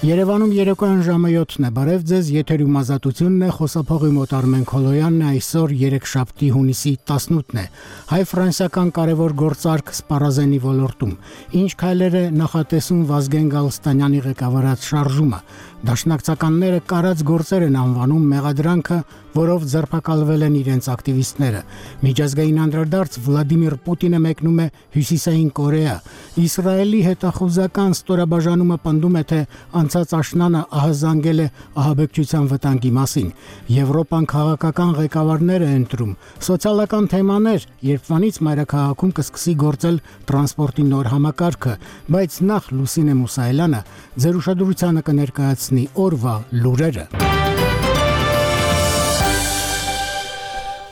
Երևանում երեկոյան ժամը 7-ն է, բարև ձեզ, եթերում ազատությունն է, խոսափողի մոտ Արմեն Քոլոյանն է, այսօր երեքշաբթի հունիսի 18-ն է, հայ-ֆրանսիական կարևոր գործարք Սպարազենի ոլորտում, ինչ քայլեր է նախատեսում Վազգեն Գալստանյանի ղեկավարած շարժումը, դաշնակցականները կարած գործեր են անվանում մեղադրանքը, որով ձերբակալվել են իրենց ակտիվիստները, միջազգային անդրադարձ Վլադիմիր Պուտինը մեկնում է Հյուսիսային Կորեա, Իսրայելի հետախուզական ստորաբաժանումը պնդում է, թե անցած աշնանը ահազանգել է ահաբեկչության վտանգի մասին, Եվրոպան քաղաքական ղեկավարներ է ընտրում, սոցիալական թեմաներ, երբվանից մայրաքաղաքում կսկսի գործել տրանսպորտի նոր համակարգը, բայց նախ Լուսինե Մուսայելյանը ձեր ուշադրությանը կներկայացնի օրվա լուրերը։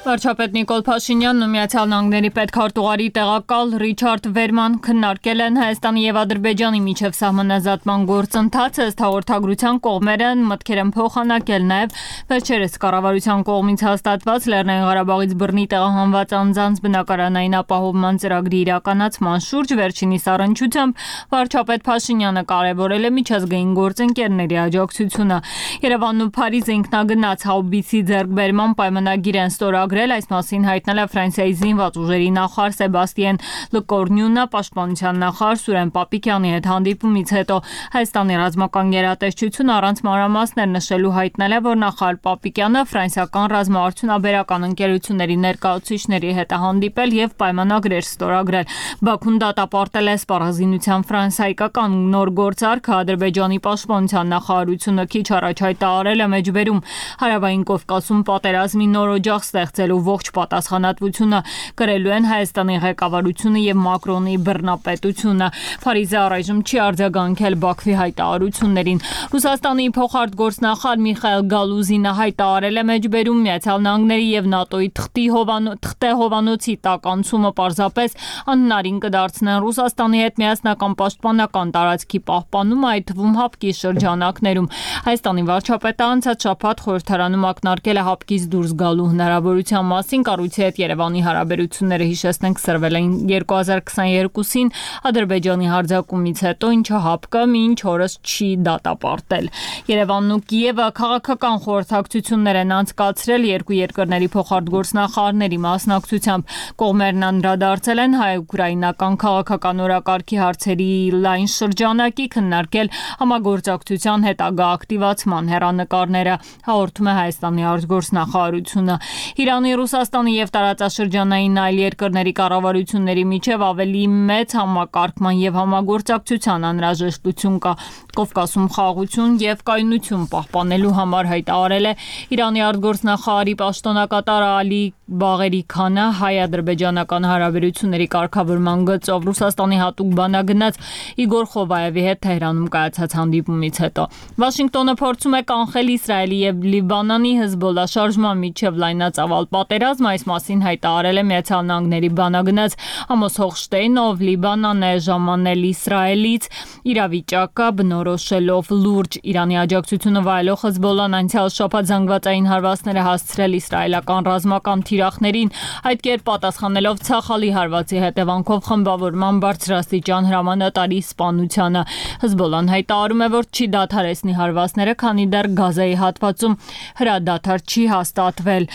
Վարչապետ Նիկոլ Փաշինյանն ու Միացյալ Նահանգների պետքարտուղարի տեղակալ Ռիչարդ Վերման քննարկել են Հայաստանի եւ Ադրբեջանի միջև սահմանազատման գործընթացը, ըստ հաղորդագրության կողմերը մտքեր են փոխանակել նաեւ վերջերս կառավարության կողմից հաստատված Լեռնային Ղարաբաղից բռնի տեղահանված անձանց բնակարանային ապահովման ծրագրի իրականացման շուրջ, վերջինիս առնչությամբ վարչապետ Փաշինյանը կարևորել է միջազգային գործընկերների աջակցությունը։ Երևանն ու Փարիզը ինքնագնաց հաուբիցի ձեռքբերման պայմանագիր են ստորագրել, այս մասին հայտնել է Ֆրանսիայի զինված ուժերի նախարար Սեբաստիեն Լկորնյունը, պաշտպանության նախարար Սուրեն Պապիկյանի հետ հանդիպումից հետո Հայաստանի ռազմական գերատեսչությունը առանց մանրամասներ նշելու հայտնել է, որ նախարար Պապիկյանը ֆրանսիական ռազմաարդյունաբերական ընկերությունների ներկայացուցիչների հետ է հանդիպել եւ պայմանագրեր ստորագրել։ Բաքուն դատապարտել է սպառազինության ֆրանսիական նոր գործարքը, Ադրբեջանի պաշտպանության նախարարությունը քիչ առաջ հայտարարել է մեջբերում Հարավային Կովկասում պատերազմի նոր օջախ ստեղծելու ողջ պատասխանատվությունը կրելու են Հայաստանի ղեկավարությունը եւ Մակրոնի բռնապետությունը։ Փարիզը առայժմ չի արձագանքել Բաքվի հայտարարություններին։ Ռուսաստանի փոխարտգործնախարար Միխայել Գալուզինը հայտարարել է մեջբերում Միացյալ Նահանգների եւ ՆԱՏՕ-ի թղթե հովանոցի տականցումը պարզապես անհնարին կդարձնեն Ռուսաստանի հետ միասնական պաշտպանական տարածքի պահպանումը, այդ թվում հապկի շրջանակներում։ Հայաստանի վարչապետը անցած շաբաթ խորհրդարանում ակնարկել է հապկից դուրս գալու հնարավորության մասին, կառույցի հետ Երևանի հարաբերությունները հիշեցնենք սրվել են 2022-ին Ադրբեջանի հարձակումից հետո, ինչը հապկը մինչ օրս չի դատապարտել։ Երևանն ու Կիևը քաղաքական խորհրդակցություններ են անցկացրել երկու երկրների փոխարտգործնախարարների մասնակցությամբ։ Կողմերն անդրադարձել են հայ-ուկրաինական քաղաքական օրակարգի հարցերի լայն շրջանակի, քննարկել համագործակցության հետագա ակտիվացման հեռանկարները, հաղորդում է Հայաստանի արտգործնախարարությունը։ Իրանի, Ռուսաստանի եւ տարածաշրջանային այլ երկրների կառավարությունների միջև ավելի մեծ համակարգման եւ համագործակցության անհրաժեշտություն կա։ Կովկասում խաղաղություն եւ կայունություն պահպանելու համար հայտարարել է Իրանի արտգործնախարարի պաշտոնակատար Ալի Բաղերի Քանը հայ-ադրբեջանական հարաբերությունների կարգավորման գծով Ռուսաստանի հատուկ բանագնաց Իգոր Խովայևի հետ Թեհրանում կայացած հանդիպումից հետո։ Վաշինգտոնը փորձում է կանխել Իսրայելի եւ Լիբանանի Հեզբոլլա շարժման միջև լայնածավալ պատերազմ, այս մասին հայտարարել է Միացյալ Նահանգների բանագնաց Ամոս Հոխշտեյնը, ով Լիբանանն է ժամանել Իսրայելից իրավիճակը բնորոշելով լուրջ։ Իրանի աջակցությունը վայելող Հեզբոլլան անցյալ շաբաթ զանգվածային հարվածներ է հասցրել իսրայելական ռազմական թիրախներին, այդ կերպ պատասխանելով ցախալի հարվածի հետևանքով խմբավորման բարձրաստիճան հրամանատարի սպանությանը։ Հեզբոլլան հայտարարում է, որ չի դադարեցնի հարվածները, քանի դեռ Գազայի հատվածում հրադադար չի հաստատվել։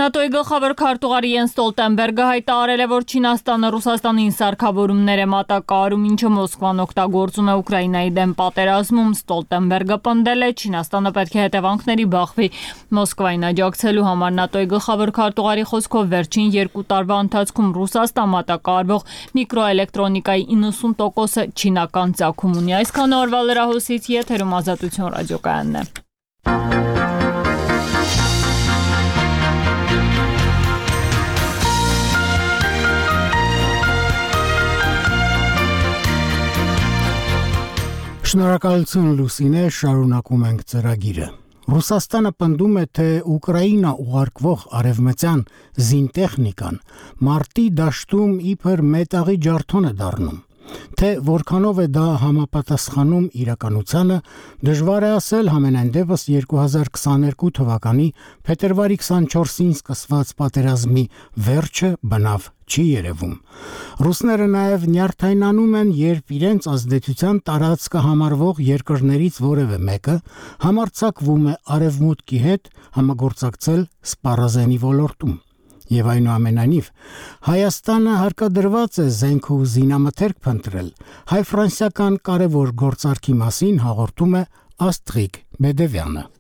ՆԱՏՕ-ի գլխավոր քարտուղար Յենս Ստոլտենբերգը հայտարարել է, որ Չինաստանը Ռուսաստանին սարքավորումներ է մատակարարում, ինչը Մոսկվան օգտագործում է Ուկրաինայի դեմ պատերազմում։ Ստոլտենբերգը պնդել է, Չինաստանը պետք է հետևանքների բախվի Մոսկվային աջակցելու համար։ ՆԱՏՕ-ի գլխավոր քարտուղարի խոսքով վերջին 2 տարվա ընթացքում Ռուսաստան մատակարարվող միկրոէլեկտրոնիկայի 90%-ը չինական ծագում ունի։ Այսքան օրվա լրահոսից եթերում Ազատություն ռադիոկայանն է։ Շնորհակալություն Լուսինե, շարունակում ենք ծրագիրը։ Ռուսաստանը պնդում է, թե Ուկրաինա ուղարկվող արևմտյան զինտեխնիկան մարտի դաշտում իբր մետաղի ջարդոն է դառնում։ Թե որքանով է դա համապատասխանում իրականությանը, դժվար է ասել, համենայն դեպս 2022 թվականի փետրվարի 24-ին սկսված պատերազմի վերջը բնավ չի երևում։ Ռուսները նաև նյարդայնանում են, երբ իրենց ազդեցության տարածքը համարվող երկրներից որևէ մեկը համարձակվում է արևմուտքի հետ համագործակցել սպառազենի ոլորտում։ Եվ այնուամենայնիվ, Հայաստանը հարկադրված է զենք ու զինամթերք փնտրել, հայ-ֆրանսիական կարևոր գործարքի մասին հաղորդում է Աստղիկ Բեդևյանը։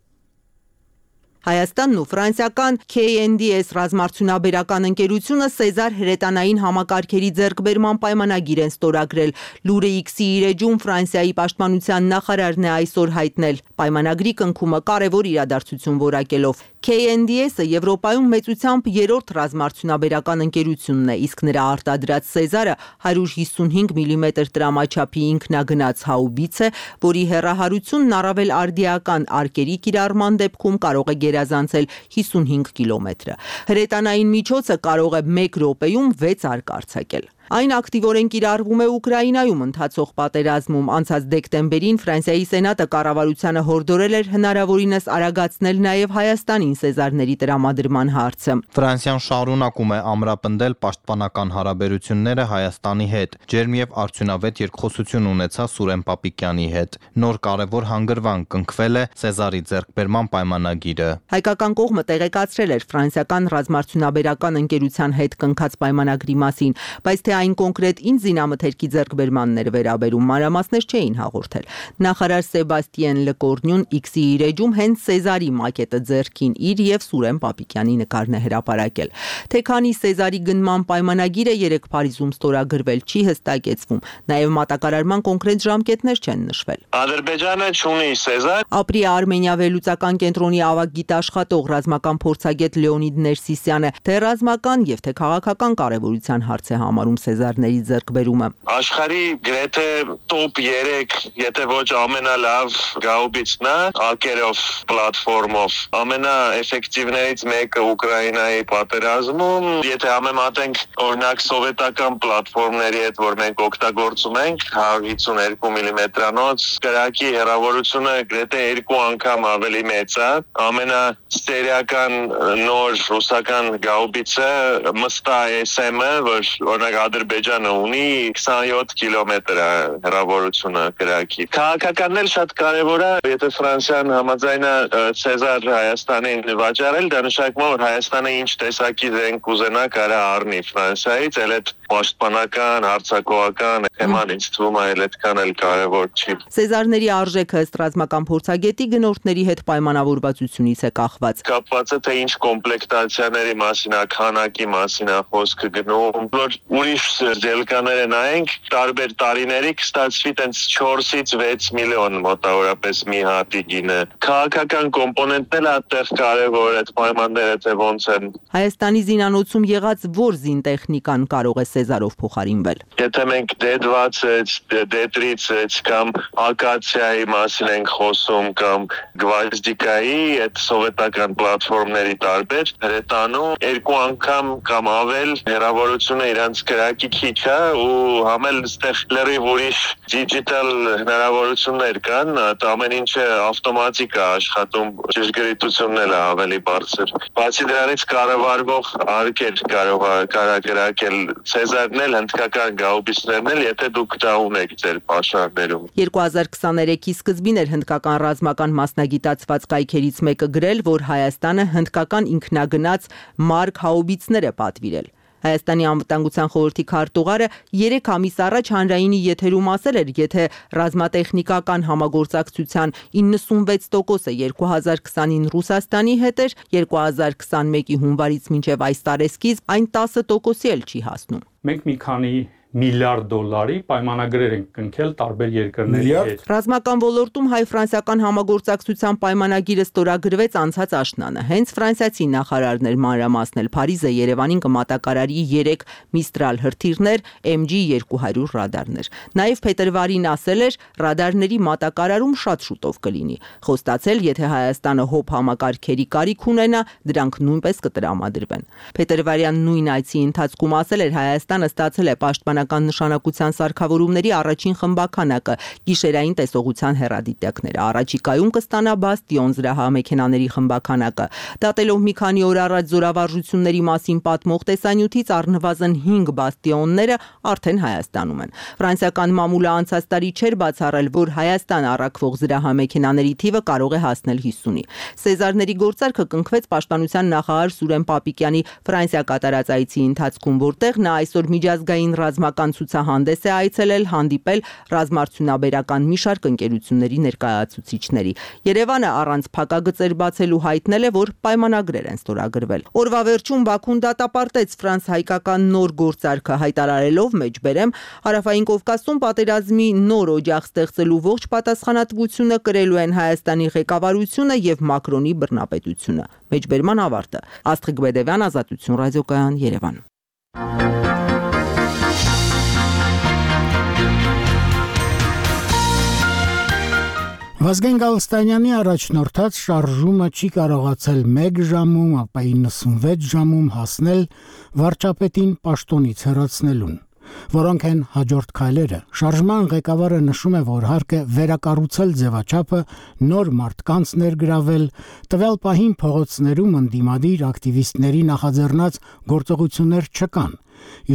Հայաստանն ու ֆրանսիական KNDS ռազմարդյունաբերական ընկերությունը Սեզար հրետանային համակարգերի ձեռքբերման պայմանագիր են ստորագրել։ Լուրը X-ի իր էջում Ֆրանսիայի պաշտպանության նախարարն է այսօր հայտնել։ Պայմանագրի կնքումը կարևոր իրադարձություն որակելով։ KNDS-ը Եվրոպայում մեծությամբ երրորդ ռազմարդյունաբերական ընկերությունն է, իսկ նրա արտադրած Սեզարը 155 մմ տրամաչափի ինքնագնաց հաուբից է, որի հեռահարությունն առավել արդիական արկերի կիրառման դեպքում կարող է գերազանցել 55 կիլոմետրը։ Հրետանային միջոցը կարող է 1 րոպեում 6 արկ արձակել։ Այն ակտիվորեն կիրառվում է Ուկրաինայում ընթացող պատերազմում։ Անցած դեկտեմբերին Ֆրանսիայի Սենատը կառավարությանը հորդորել էր հնարավորինս արագացնել նաև Հայաստանին Սեզարների տրամադրման հարցը։ Ֆրանսիան շարունակում է ամրապնդել պաշտպանական հարաբերությունները Հայաստանի հետ։ Ջերմ եւ արդյունավետ երկխոսություն ունեցա Սուրեն Պապիկյանի հետ։ Նոր կարևոր հանգրվան կնքվել է Սեզարի ձեռքբերման պայմանագիրը։ Հայկական կողմը տեղեկացրել էր ֆրանսիական ռազմարդյունաբերական ընկերության հետ կնքած պայմանագրի մասին, բայց թե այն կոնկրետ ինչ զինամթերքի ձեռքբերմանն էր վերաբերում, մանրամասներ չէին հաղորդել։ Նախարար Սեբաստիեն Լեկորնյուն X-ի իր էջում հենց Սեզարի մակետը ձեռքին իր եւ Սուրեն Պապիկյանի նկարն է հրապարակել։ Թե քանի Սեզարի գնման պայմանագիրը 3 Փարիզում ստորագրվել չի հստակեցվում, նաեւ մատակարարման կոնկրետ ժամկետներ չեն նշվել։ Ադրբեջանը չունի Սեզար։ Ապրի Արմենիա վերլուծական կենտրոնի ավագ գիտաշխատող ռազմական փորձագետ Լեոնիդ Ներսիսյանը թե ռազմական եւ թե քաղաքական կարեւորության հարց է համարում Սեզարների ձեռքբերումը։ Աշխարհի գրեթե top 3, եթե ոչ ամենալավ գաուբիցն է, ակերով պլատֆորմով։ Ամենաէֆեկտիվներից մեկը Ուկրաինայի պատերազմում, եթե համեմատենք օրինակ սովետական պլատֆորմների հետ, որ մենք օգտագործում ենք, 152 մմ-անոց կրակի հեռավորությունը գրեթե 2 անգամ ավելի մեծ է։ Ամենասերիական նոր ռուսական գաուբիցը Մստա SM-ը, որ օրինակ Ադրբեջանը ունի 27 կիլոմետր հեռավորությունը կրակի։ Քաղաքականն էլ շատ կարևոր է, եթե Ֆրանսիան համաձայնա Սեզար Հայաստանին վաճառել, դա նշանակում է, որ Հայաստանը ինչ տեսակի զենք ուզենա կարա առնի Ֆրանսիայից, էլ այդ պաշտպանական, հարձակողական թեման ինձ թվում է այդքան էլ կարևոր չի։ Սեզարների արժեքը ըստ ռազմական փորձագետի գնորդների հետ պայմանավորվածությունից է կախված։ Կապված է թե ինչ կոմպլեկտացիաների մասին, քանակի մասին է խոսքը գնում, որ ուրիշ դելկաները նայենք, տարբեր տարիների կստացվի տենց 4-ից 6 միլիոն մոտավորապես մի հատի գինը։ Քաղաքական կոմպոնենտն էլ այդտեղ կարևոր է, պայմանները թե ոնց են։ Հայաստանի զինանոցում եղած որ զինտեխնիկան կարող է Սեզարով փոխարինվել։ Եթե մենք D20, D30 կամ ակացիայի մասին ենք խոսում կամ գվազդիկայի, այդ սովետական պլատֆորմների տարբեր հրետանում 2 անգամ կամ ավել հեռավորությունը իրանց կրակի քիչ է ու համել այստեղ լրիվ ուրիշ դիջիտալ հնարավորություններ կան, ամեն ինչը ավտոմատիկ է աշխատում, ճշգրիտությունն էլ է ավելի բարձր։ Բացի դրանից կառավարվող արկեր կարող է կրակել Սեզարն էլ, հնդկական գաուբիցներն էլ, եթե դուք դա ունեք ձեր պաշարներում։ 2023-ի սկզբին էր հնդկական ռազմական մասնագիտացված կայքերից մեկը գրել, որ Հայաստանը հնդկական ինքնագնաց Մարկ հաուբիցներ է պատվիրել։ Հայաստանի անվտանգության խորհրդի քարտուղարը 3 ամիս առաջ հանրայինի եթերում ասել էր, եթե ռազմատեխնիկական համագործակցության 96%-ը 2020-ին Ռուսաստանի հետ էր, 2021-ի հունվարից մինչև այս տարեսկիզբ այն 10%-ի էլ չի հասնում։ Մենք մի քանի միլիարդ դոլարի պայմանագրեր են կնքել տարբեր երկրների հետ։ Ռազմական ոլորտում հայ-ֆրանսիական համագործակցության պայմանագիրը ստորագրվեց անցած աշնանը։ Հենց ֆրանսիացի նախարարն էր մանրամասնել Փարիզը Երևանին կմատակարարի 3 Միստրալ հրթիռներ, MG200 ռադարներ։ Նաև փետրվարին ասել էր, ռադարների մատակարարում շատ շուտով կլինի։ Խոստացել, եթե Հայաստանը հոբ համակարգերի կարիք ունենա, դրանք նույնպես կտրամադրվեն։ Փետրվարյան նույն այցի ընթացքում ասել էր, Հայաստանը ստացել է պաշտպանական պետականական նշանակության սարքավորումների առաջին խմբաքանակը՝ գիշերային տեսողության հեռադիտակները։ Առաջիկայում կստանա Բաստիոն զրահամեքենաների խմբաքանակը։ Դատելով մի քանի օր առաջ զորավարժությունների մասին պատմող տեսանյութից առնվազն 5 Բաստիոնները արդեն Հայաստանում են։ Ֆրանսիական մամուլը անցած տարի չէր բացառել, որ Հայաստան առաքվող զրահամեքենաների թիվը կարող է հասնել 50-ի։ Սեզարների գործարքը կնքվեց պաշտպանության նախարար Սուրեն Պապիկյանի Ֆրանսիա կատարած այցի ընթացքում, որտեղ նա այսօր միջազգային ռազմական ցուցահանդես է այցելել, հանդիպել ռազմարդյունաբերական մի շարք ընկերությունների ներկայացուցիչների։ Երևանը առանց փակագծեր բացելու հայտնել է, որ պայմանագրեր են ստորագրվել։ Օրվա վերջում Բաքուն դատապարտեց ֆրանս-հայկական նոր գործարքը, հայտարարելով մեջբերեմ Հարավային Կովկասում պատերազմի նոր օջախ ստեղծելու ողջ պատասխանատվությունը կրելու են Հայաստանի ղեկավարությունը եւ Մակրոնի բռնապետությունը։ Մեջբերման ավարտը։ Աստղիկ Բեդևյան, Ազատություն ռադիոկայան, Երևան։ Վազգեն Գալստանյանի առաջնորդած շարժումը չի կարողացել 1 ժամում, ապա 96 ժամում հասնել վարչապետին պաշտոնից հեռացնելուն։ Որոնք են հաջորդ քայլերը։ Շարժման ղեկավարը նշում է, որ հարկ է վերակառուցել ձևաչափը, նոր մարդկանց ներգրավել, տվյալ պահին փողոցներում ընդդիմադիր ակտիվիստների նախաձեռնած գործողություններ չկան։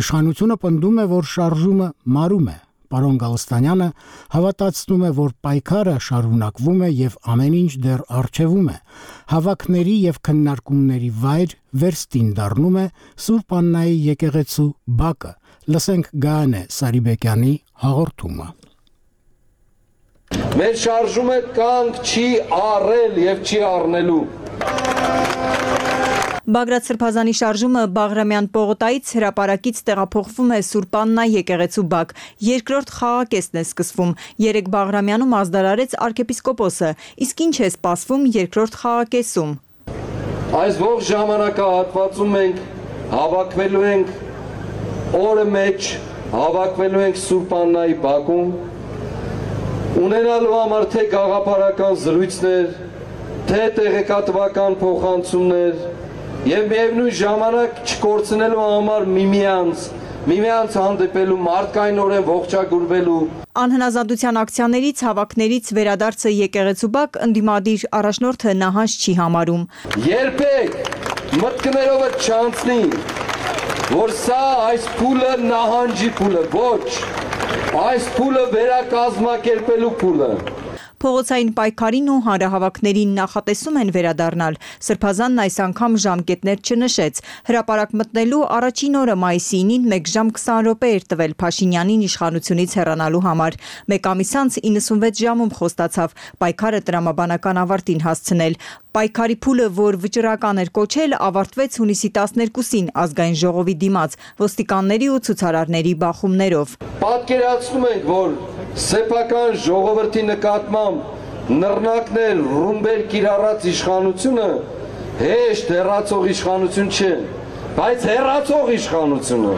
Իշխանությունը պնդում է, որ շարժումը մարում է։ Պարոն Գալստանյանը հավատացնում է, որ պայքարը շարունակվում է եւ ամեն ինչ դեռ առջևում է։ Հավաքների եւ քննարկումների վայր վերստին դառնում է Սուրբ Աննայի եկեղեցու բակը։ Լսենք Գայանե Սարիբեկյանի հաղորդումը։ Մեր շարժումը կանգ չի առել եւ չի առնելու։ Բագրատ Սրբազանի շարժումը Բաղրամյան պողոտայից հրապարակից տեղափոխվում է Սուրբ Աննա եկեղեցու բակ։ Երկրորդ խաղակեսն է սկսվում։ 3 Բաղրամյանում ազդարարեց arczepiskopos-ը, իսկ ինչ է սպասվում երկրորդ խաղակեսում։ Այս ողջ ժամանակահատվածում մենք հավաքվելու ենք օրը մեջ, հավաքվելու ենք Սուրբ Աննայի բակում, ունենալու համար թե գաղափարական զրույցներ, թե տեղեկատվական փոխանցումներ եւ միևնույն ժամանակ չկորցնելու համար միմյանց հանդիպելու, մարդկայնորեն ողջագուրվելու։ Անհնազանդության ակցիաներից, հավաքներից վերադարձը եկեղեցու բակ ընդդիմադիր առաջնորդը նահանջ չի համարում։ Երբեք մտքներովը չանցնի, որ սա այս փուլը նահանջի փուլը, ոչ, այս փուլը վերակազմակերպելու փուլը։ Փողոցային պայքարին ու հանրահավաքներին նախատեսում են վերադառնալ։ Սրբազանն այս անգամ ժամկետներ չնշեց։ Հրապարակ մտնելու առաջին օրը մայիսի 9-ին 1 ժամ 20 րոպե էր տվել Փաշինյանին իշխանությունից հեռանալու համար։ Մեկ ամիս անց 96 ժամում խոստացավ պայքարը տրամաբանական ավարտին հասցնել։ Պայքարի փուլը, որ վճռական էր կոչել, ավարտվեց հունիսի 12-ին ազգային ժողովի դիմաց ոստիկանների ու ցուցարարների բախումներով։ Պատկերացնում ենք, որ սեփական ժողովրդի նկատմամբ նռնակներ ռումբեր կիրառած իշխանությունը հեշտ հեռացող իշխանություն չէ, բայց հեռացող իշխանությունը։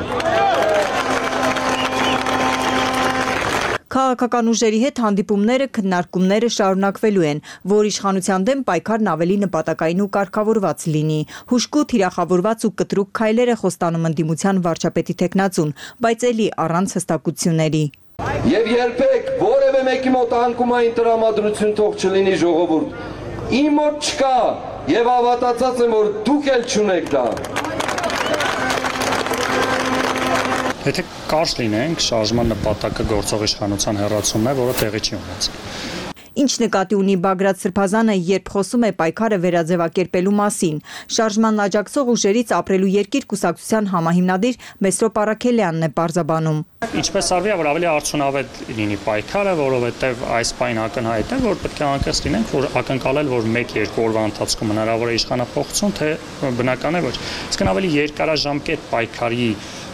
Քաղաքական ուժերի հետ հանդիպումները, քննարկումները շարունակվելու են, որ իշխանության դեմ պայքարն ավելի նպատակային ու կարգավորված լինի։ Հուժկու թիրախավորված ու կտրուկ քայլեր է խոստանում ընդդիմության վարչապետի տեխնացուն, բայց ելի առանց հստակությունների։ Եվ երբեք որևէ մեկի մոտ անկումային տրամադրություն թող չլինի ժողովուրդ։ Իմ մոտ չկա եւ հավատացած եմ, որ դուք էլ չունեք դա։ Եթե կարճ լինենք, շարժման նպատակը գործող իշխանության հեռացումն է, որը տեղի չի ունեցել։ Ինչ նկատի ունի Բագրատ Սրբազանը, երբ խոսում է պայքարը վերաձևակերպելու մասին։ Շարժման աջակցող ուժերից ապրելու երկիր կուսակցության համահիմնադիր Մեսրոպ Արաքելյանն է պարզաբանում։ Ինչպես արվի, որ ավելի արդյունավետ լինի պայքարը, որովհետև այս պայն ակնհայտ է, որ պետք է անկեղծ լինենք, որ ակնկալել, որ 1-2 օրվա ընթացքում հնարավոր է իշխանափոխություն, թե բնական է ոչ։ Իսկ ավելի երկարաժամկետ պայքարի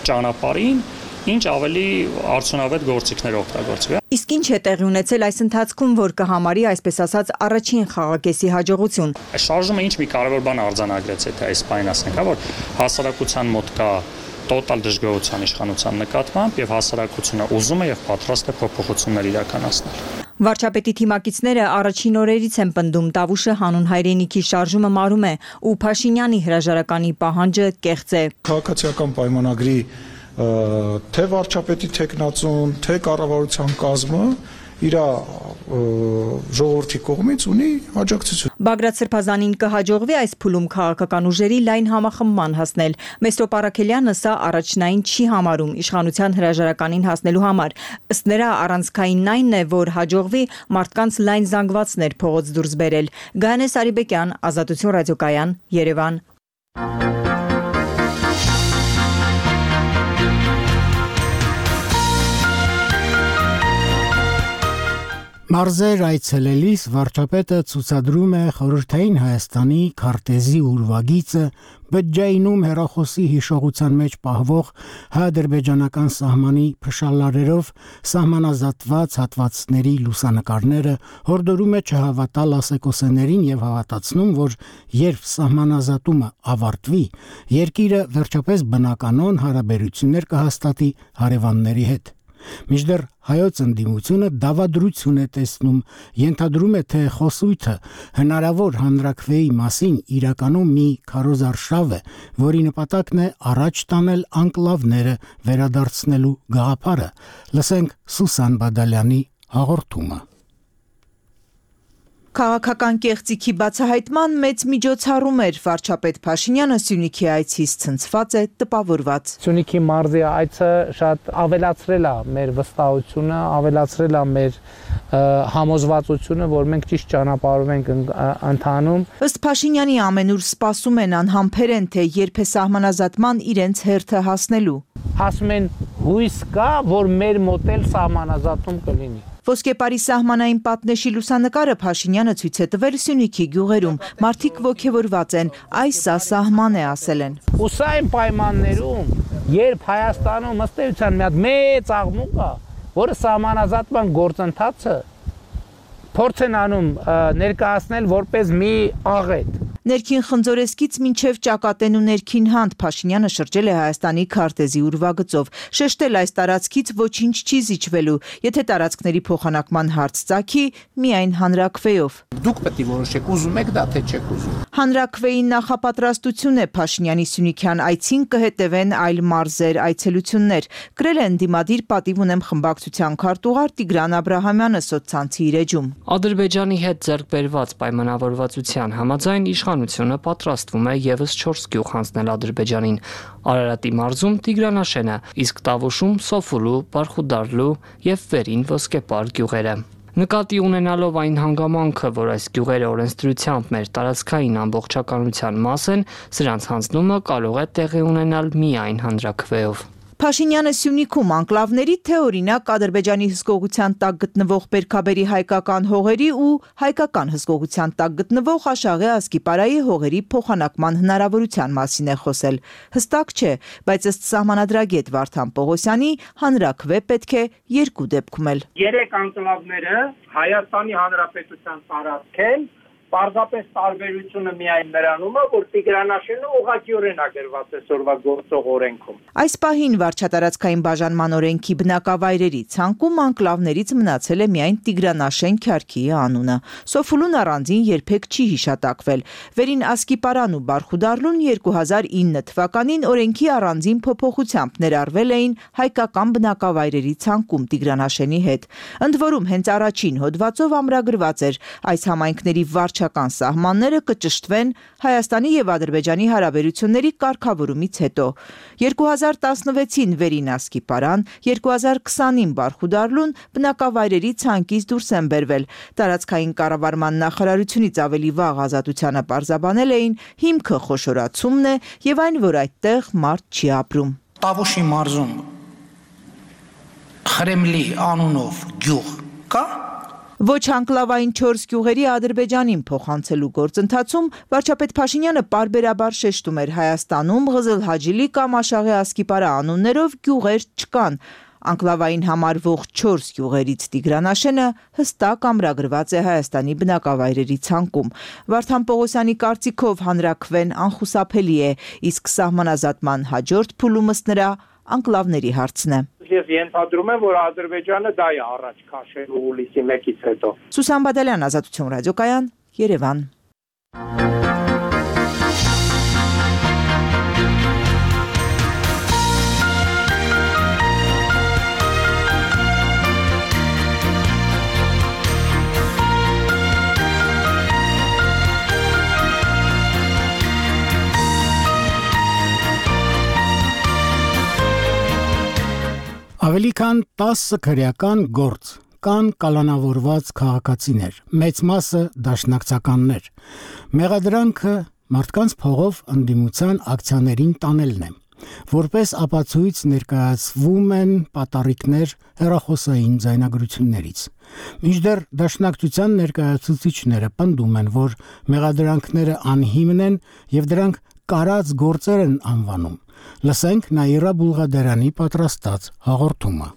ճանապարհին ինչ ավելի արդյունավետ գործիքներ օգտագործվի։ Իսկ ինչ է տեղի ունեցել այս ընթացքում, որ կհամարի, այսպես ասած, առաջին խաղակեսի հաջողություն։ Շարժումը ինչ մի կարևոր բան արձանագրեց, եթե այս պայն ասենք, որ հասարակության մոտ կա տոտալ դժգոհության իշխանության նկատմամբ եւ հասարակությունը ուզում է եւ պատրաստ է փոփոխություններ իրականացնել։ Վարչապետի թիմակիցները առաջին օրերից են պնդում Տավուշը հանուն հայրենիքի շարժումը մարում է ու Փաշինյանի հրաժարականի պահանջը կեղծ է։ Քաղաքացիական պայմանագրի թե վարչապետի տեխնացուն, թե կառավարության կազմը իր ժողովրդի կողմից ունի աջակցություն։ Բագրատ Սրբազանին կհաջողվի այս փուլում քաղաքական ուժերի լայն համախմբման հասնել։ Մեսրոպ Առաքելյանը սա առաջնային չի համարում իշխանության հրաժարականին հասնելու համար։ Ըստ նրա առանցքայինն այն է, որ հաջողվի մարդկանց լայն զանգվածներ փողոց դուրս բերել։ Գայանե Սարիբեկյան, Ազատություն ռադիոկայան, Երևան։ Մարզեր այցելելիս վարչապետը ցուցադրում է խորհրդային Հայաստանի քարտեզի ուրվագիծը, բջջայինում հեռախոսի հիշողության մեջ պահվող հայ-ադրբեջանական սահմանի փշալարերով սահմանազատված հատվածների լուսանկարները, հորդորում է չհավատալ ասեկոսեներին եւ հավատացնում, որ երբ սահմանազատումը ավարտվի, երկիրը վերջապես բնականon հարաբերություններ կհաստատի հարևանների հետ։ Մինչդեռ հայոց ընդդիմությունը դավադրություն է տեսնում, ենթադրում է, թե խոսույթը հնարավոր հանրաքվեի մասին իրականում մի քարոզարշավ է, որի նպատակն է առաջ տանել անկլավները վերադարձնելու գաղափարը։ Լսենք Սուսան Բադալյանի հաղորդումը։ Քաղաքական կեղծիքի բացահայտման մեծ միջոցառում էր վարչապետ Փաշինյանը Սյունիքի այցից ցնցված է, տպավորված։ Սյունիքի մարզի այցը շատ ավելացրել է մեր վստահությունը, ավելացրել է մեր համոզվածությունը, որ մենք ճիշտ ճանապարհով ենք ընթանում։ Ըստ Փաշինյանի ամենուր սպասում են անհամբեր են, թե երբ է սահմանազատման իրենց հերթը հասնելու։ Ասում են հույս կա, որ մեր մոտ էլ սահմանազատում կլինի։ Ոսկեպարի սահմանային պատնեշի լուսանկարը Փաշինյանը ցույց է տվել Սյունիքի գյուղերում։ Մարդիկ ոգևորված են, այս սա սահման է ասել են։ Ու սա այն պայմաններում, երբ Հայաստանում ըստ էության մի հատ մեծ աղմուկ կա, որը սահմանազատման գործընթացը փորձ են անում ներկայացնել որպես մի աղետ։ Ներքին խնձորեսկից մինչև Ճակատեն ու ներքին Հանդ Փաշինյանը շրջել է Հայաստանի քարտեզի ուրվագծով, շեշտել այս տարածքից ոչինչ չի զիջվելու, եթե տարածքների փոխանակման հարց ծագի, միայն հանրաքվեով։ Դուք պետք է որոշեք, ուզում եք դա թե չեք ուզում։ Հանրաքվեի նախապատրաստություն է Փաշինյանի Սյունիքյան այցին կհետևեն այլ մարզեր, այցելություններ։ Գրել են դիմադիր պատիվ ունեմ խմբակցության քարտուղար Տիգրան Աբրահամյանը սոցցանցի իր էջում։ Ադրբեջանի հետ ձեռք բերված պայմանավորվածության համաձայն իշխանությունը պատրաստվում է եւս 4 գյուղ հանձնել Ադրբեջանին՝ Արարատի մարզում Տիգրանաշենը, իսկ Տավուշում Սոֆուլու, Բարխուդարլու եւ Վերին Ոսկեպար գյուղերը։ Նկատի ունենալով այն հանգամանքը, որ այս գյուղերը օրենսդրությամբ մեր տարածքային ամբողջականության մաս են, սրանց հանձնումը կարող է տեղի ունենալ միայն հանրաքվեով։ Փաշինյանը Սյունիքում անկլավների թե օրինակ Ադրբեջանի հսկողության տակ գտնվող Բերքաբերի հայկական հողերի ու հայկական հսկողության տակ գտնվող Աշաղի Ասկիպարայի հողերի փոխանակման հնարավորության մասին է խոսել։ Հստակ չէ, բայց ըստ սահմանադրագետ Վարդան Պողոսյանի հանրաքվե պետք է երկու դեպքում էլ։ 3 անկլավները Հայաստանի Հանրապետության տարածք են, պարզապես տարբերությունը միայն նրանում է, որ Տիգրանաշենը ուղղակիորեն ագրված է սորվա գործող օրենքում։ Այս պահին վարչատարածքային բաժանման օրենքի բնակավայրերի ցանկում անկլավներից մնացել է միայն Տիգրանաշեն քյարքի անունը։ Սոֆուլուն առանձին երբեք չի հիշատակվել։ Վերին Ասկիպարան ու Բարխուդարլուն 2009 թվականին օրենքի առանձին փոփոխությամբ ներառվել էին հայկական բնակավայրերի ցանկում Տիգրանաշենի հետ։ Ընդ որում հենց առաջին հոդվածով ամրագրված էր այս համայնքների վարչական սահմանները կճշտվեն Հայաստանի եւ Ադրբեջանի հարաբերությունների կարգավորումից հետո։ 2016-ին Վերին Ասկիպարան, 2020-ին Բարխուդարլուն բնակավայրերի ցանկից դուրս են բերվել։ Տարածքային կառավարման նախարարությունից ավելի վաղ ազատությանը պարզաբանել էին հիմքը խոշորացումն է եւ այն, որ այդտեղ մարդ չի ապրում։ Տավուշի մարզում Խրեմլի անունով գյուղ կա։ Ոչ անկլավային 4 գյուղերի Ադրբեջանին փոխանցելու գործընթացում վարչապետ Փաշինյանը պարբերաբար շեշտում էր Հայաստանում Ղզլհաջիլի կամ Աշաղի Ասկիպարա անուններով գյուղեր չկան։ Անկլավային համարվող 4 գյուղերից Տիգրանաշենը հստակ ամրագրված է Հայաստանի բնակավայրերի ցանկում։ Վարդան Պողոսյանի կարծիքով հանրաքվեն անխուսափելի է, իսկ սահմանազատման հաջորդ փուլում ըստ նրա անկլավների հարցն է։ Ես ենթադրում եմ, որ Ադրբեջանը դա է առաջ քաշելու հուլիսի 1-ից հետո։ Սուսան Բադալյան, Ազատություն ռադիոկայան, Երևան։ Այդքան 10 քրեական գործ, կան կալանավորված քաղաքացիներ, մեծ մասը դաշնակցականներ։ Մեղադրանքը մարդկանց փողով ընդդիմության ակցիաներին տանելն է։ Որպես ապացույց ներկայացվում են պատառիկներ հեռախոսային ձայնագրություններից։ Մինչդեռ դաշնակցության ներկայացուցիչները պնդում են, որ մեղադրանքները անհիմն են եւ դրանք կարած գործեր են անվանում։ Լսենք Նաիրա Բուլղադարյանի պատրաստած հաղորդումը։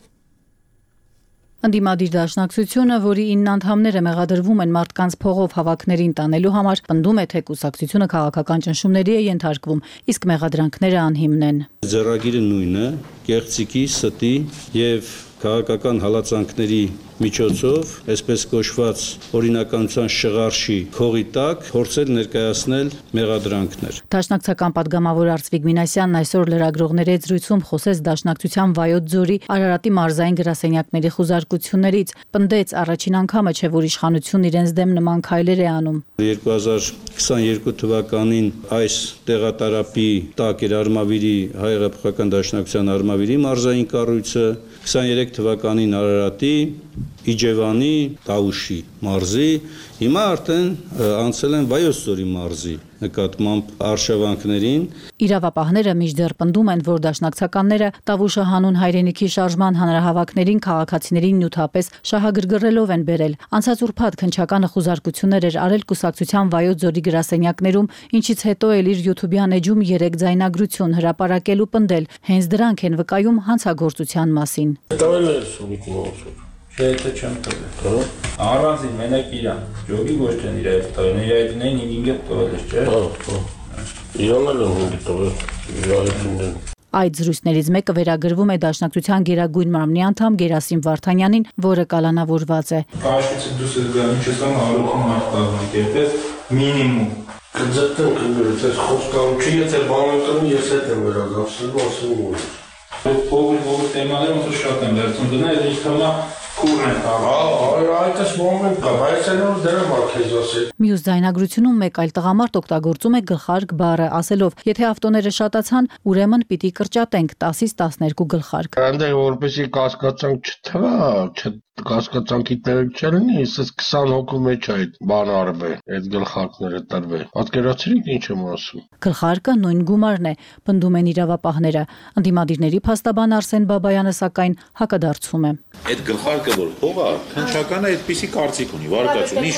Ընդդիմադիր դաշնակցությունը, որի 9 անդամները մեղադրվում են մարդկանց փողով հավաքներին տանելու համար, պնդում է, թե կուսակցությունը քաղաքական ճնշումների է ենթարկվում, իսկ մեղադրանքները անհիմն են։ Ձեռագիրը նույնը, կեղծիքի, ստի եւ քաղաքական հալածանքների միջոցով, այսպես կոչված օրինականության շղարշի փողի տակ փորձել ներկայացնել մեղադրանքներ։ Դաշնակցական падգամավոր Արծվիկ Մինասյանն այսօր լրագրողների հետ զրույցում խոսեց դաշնակցության Վայոց ձորի Արարատի մարզային գրասենյակների խուզարկություններից, պնդեց առաջին անգամը չէ, որ իշխանությունն իրենց դեմ նման քայլեր է անում։ 2022 թվականին այս տեղատարապի տակ էր Արմավիրի հայ հեղափոխական դաշնակցության Արմավիրի մարզային կառույցը, 23 թվականին Արարատի, Իջևանի, Տավուշի մարզի, հիմա արդեն անցել են Վայոց ձորի մարզի նկատմամբ արշավանքներին։ Իրավապահները մինչդեռ պնդում են, որ դաշնակցականները Տավուշը հանուն հայրենիքի շարժման հանրահավաքներին քաղաքացիներին նյութապես շահագրգռելով են բերել։ Անցած ուրբաթ քննչականը խուզարկություններ էր արել կուսակցության Վայոց ձորի գրասենյակներում, ինչից հետո էլ իր YouTube-յան էջում 3 ձայնագրություն հրապարակել ու պնդել, հենց դրանք են վկայում հանցագործության մասին։ Չէ, չեմ տվել։ Առանձին մենակ իրան, ջոգի ոչ չեն իր այդ տվել, իր այդ նեն 5 տվել ես, չէ։ Իրանն էլ 5 տվել, իրայությունն։ Այդ զրույցներից մեկը վերագրվում է դաշնակցության գերագույն մարմնի անդամ Գերասիմ Վարդանյանին, որը կալանավորված է։ Քաշիցը դուս ես գա, ինչ ես անում հարություն մարդկազմի, երբես մինիմում։ Կձգտեմ կգրուց, ես խոսքարություն, եթե բանականում ես հետ եմ վերադարձել, ասում եմ։ Ով թեմաները ոնց շատ եմ վերցնում դնել, ինչ թեմա քուրն են տալու։ Այդպես մոմենտ կա, բայց այնով դրեմ ակեզ ասել։ Մյուս ձայնագրությունում մեկ այլ տղամարդ օգտագործում է գլխարկ բառը, ասելով, եթե ավտոները շատացան, ուրեմն պիտի կրճատենք 10-ից 12 գլխարկ։ Այնտեղ որպեսի կասկածանք չթվա, կասկածանքի տեղ չլինի, ասես 20 հոգու մեջ այդ բանը արվե, այդ գլխարկները տրվե։ Պատկերացրիք ինչ եմ ասում։ Գլխարկը նույն գումարն է, պնդում են իրավապահները։ Ընդդիմադիրների փաստաբան Արսեն Բաբայանը սակայն հակադարձում է։ Այդ գլխարկը որ փողա, քննչականը այդպիսի կարծիք ունի, վարկածունի,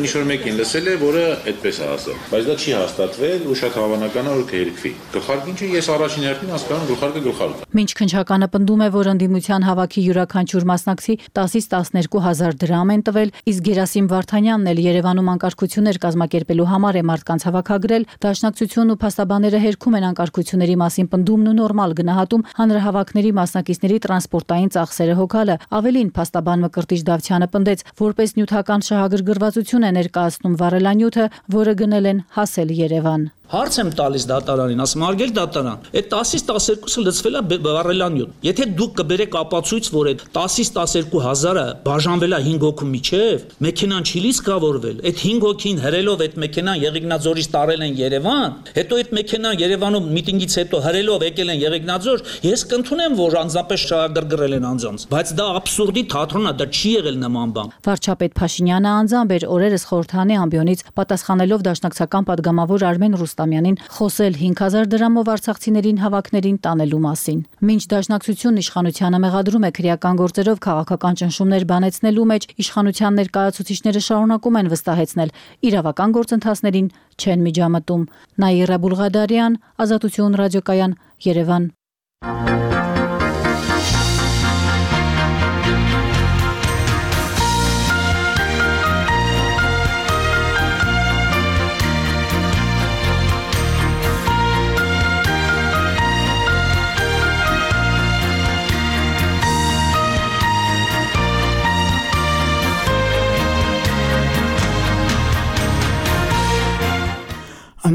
ինչ-որ մեկին լսել է, որը այդպես է ասել, բայց դա չի հաստատվել ու շատ հավանական է որ կհերկվի։ Գլխարկը ինչը ես առաջին հերթին հասկանում գլխարկը գլխարկ է։ Մինչ քննչականը պնդում է, որ ընդդիմության հավաքի յուրաքանչյուր մասնակցի 10-ից 12,000 դրամ են տվել, իսկ Գերասիմ Վարդանյանն էլ Երևանում անկարգություններ կազմակերպելու համար է մարդկանց հավաքագրել, դաշնակցությունն ու փաստաբանները հերքում են անկարգությունների մասին պնդումն ու նորմալ գնահատում հանրահավաքների մասնակիցների տրանսպորտային ծախսերը հոգալը։ Ավելին, փաստաբան Մկրտիչ Դավթյանը պնդեց, որպես նյութական շահագրգռվածություն է ներկայացնում վառելանյութը, որը գնել են հասել Երևան։ Հարց եմ տալիս դատարանին, ասում արգել դատարան, այդ 10-ից 12-ը լցվել է վառելանյութ։ Եթե դուք կբերեք ապացույց, որ այդ 10-ից 12,000-ը բաժանվել է 5 հոգու միջև, մեքենան չի լիցքավորվել, այդ 5 հոգին հրելով այդ մեքենան Եղեգնաձորից տարել են Երևան, հետո այդ մեքենան Երևանում միտինգից հետո հրելով եկել են Եղեգնաձոր, ես կընդունեմ, որ անձնապես շահագրգռել են անձանց, բայց դա աբսուրդի թատրոն է, դա չի եղել նման բան։ Վարչապետ Փաշինյանը անձամբ էր օրերս խորհրդանի ամբիոնից պատասխանելով դաշնակցական падգամավոր Արմեն Ռուստամյանին խոսել 5000 դրամով արցախցիներին հավաքներին տանելու մասին։ Մինչ դաշնակցությունն իշխանությանը մեղադրում է քրեական գործերով քաղաքական ճնշումներ բանեցնելու մեջ, իշխանության ներկայացուցիչները շարունակում են վստահեցնել, իրավական գործընթացներին չեն միջամտում։ Նաիրա Բուլղադարյան, Ազատություն ռադիոկայան, Երևան։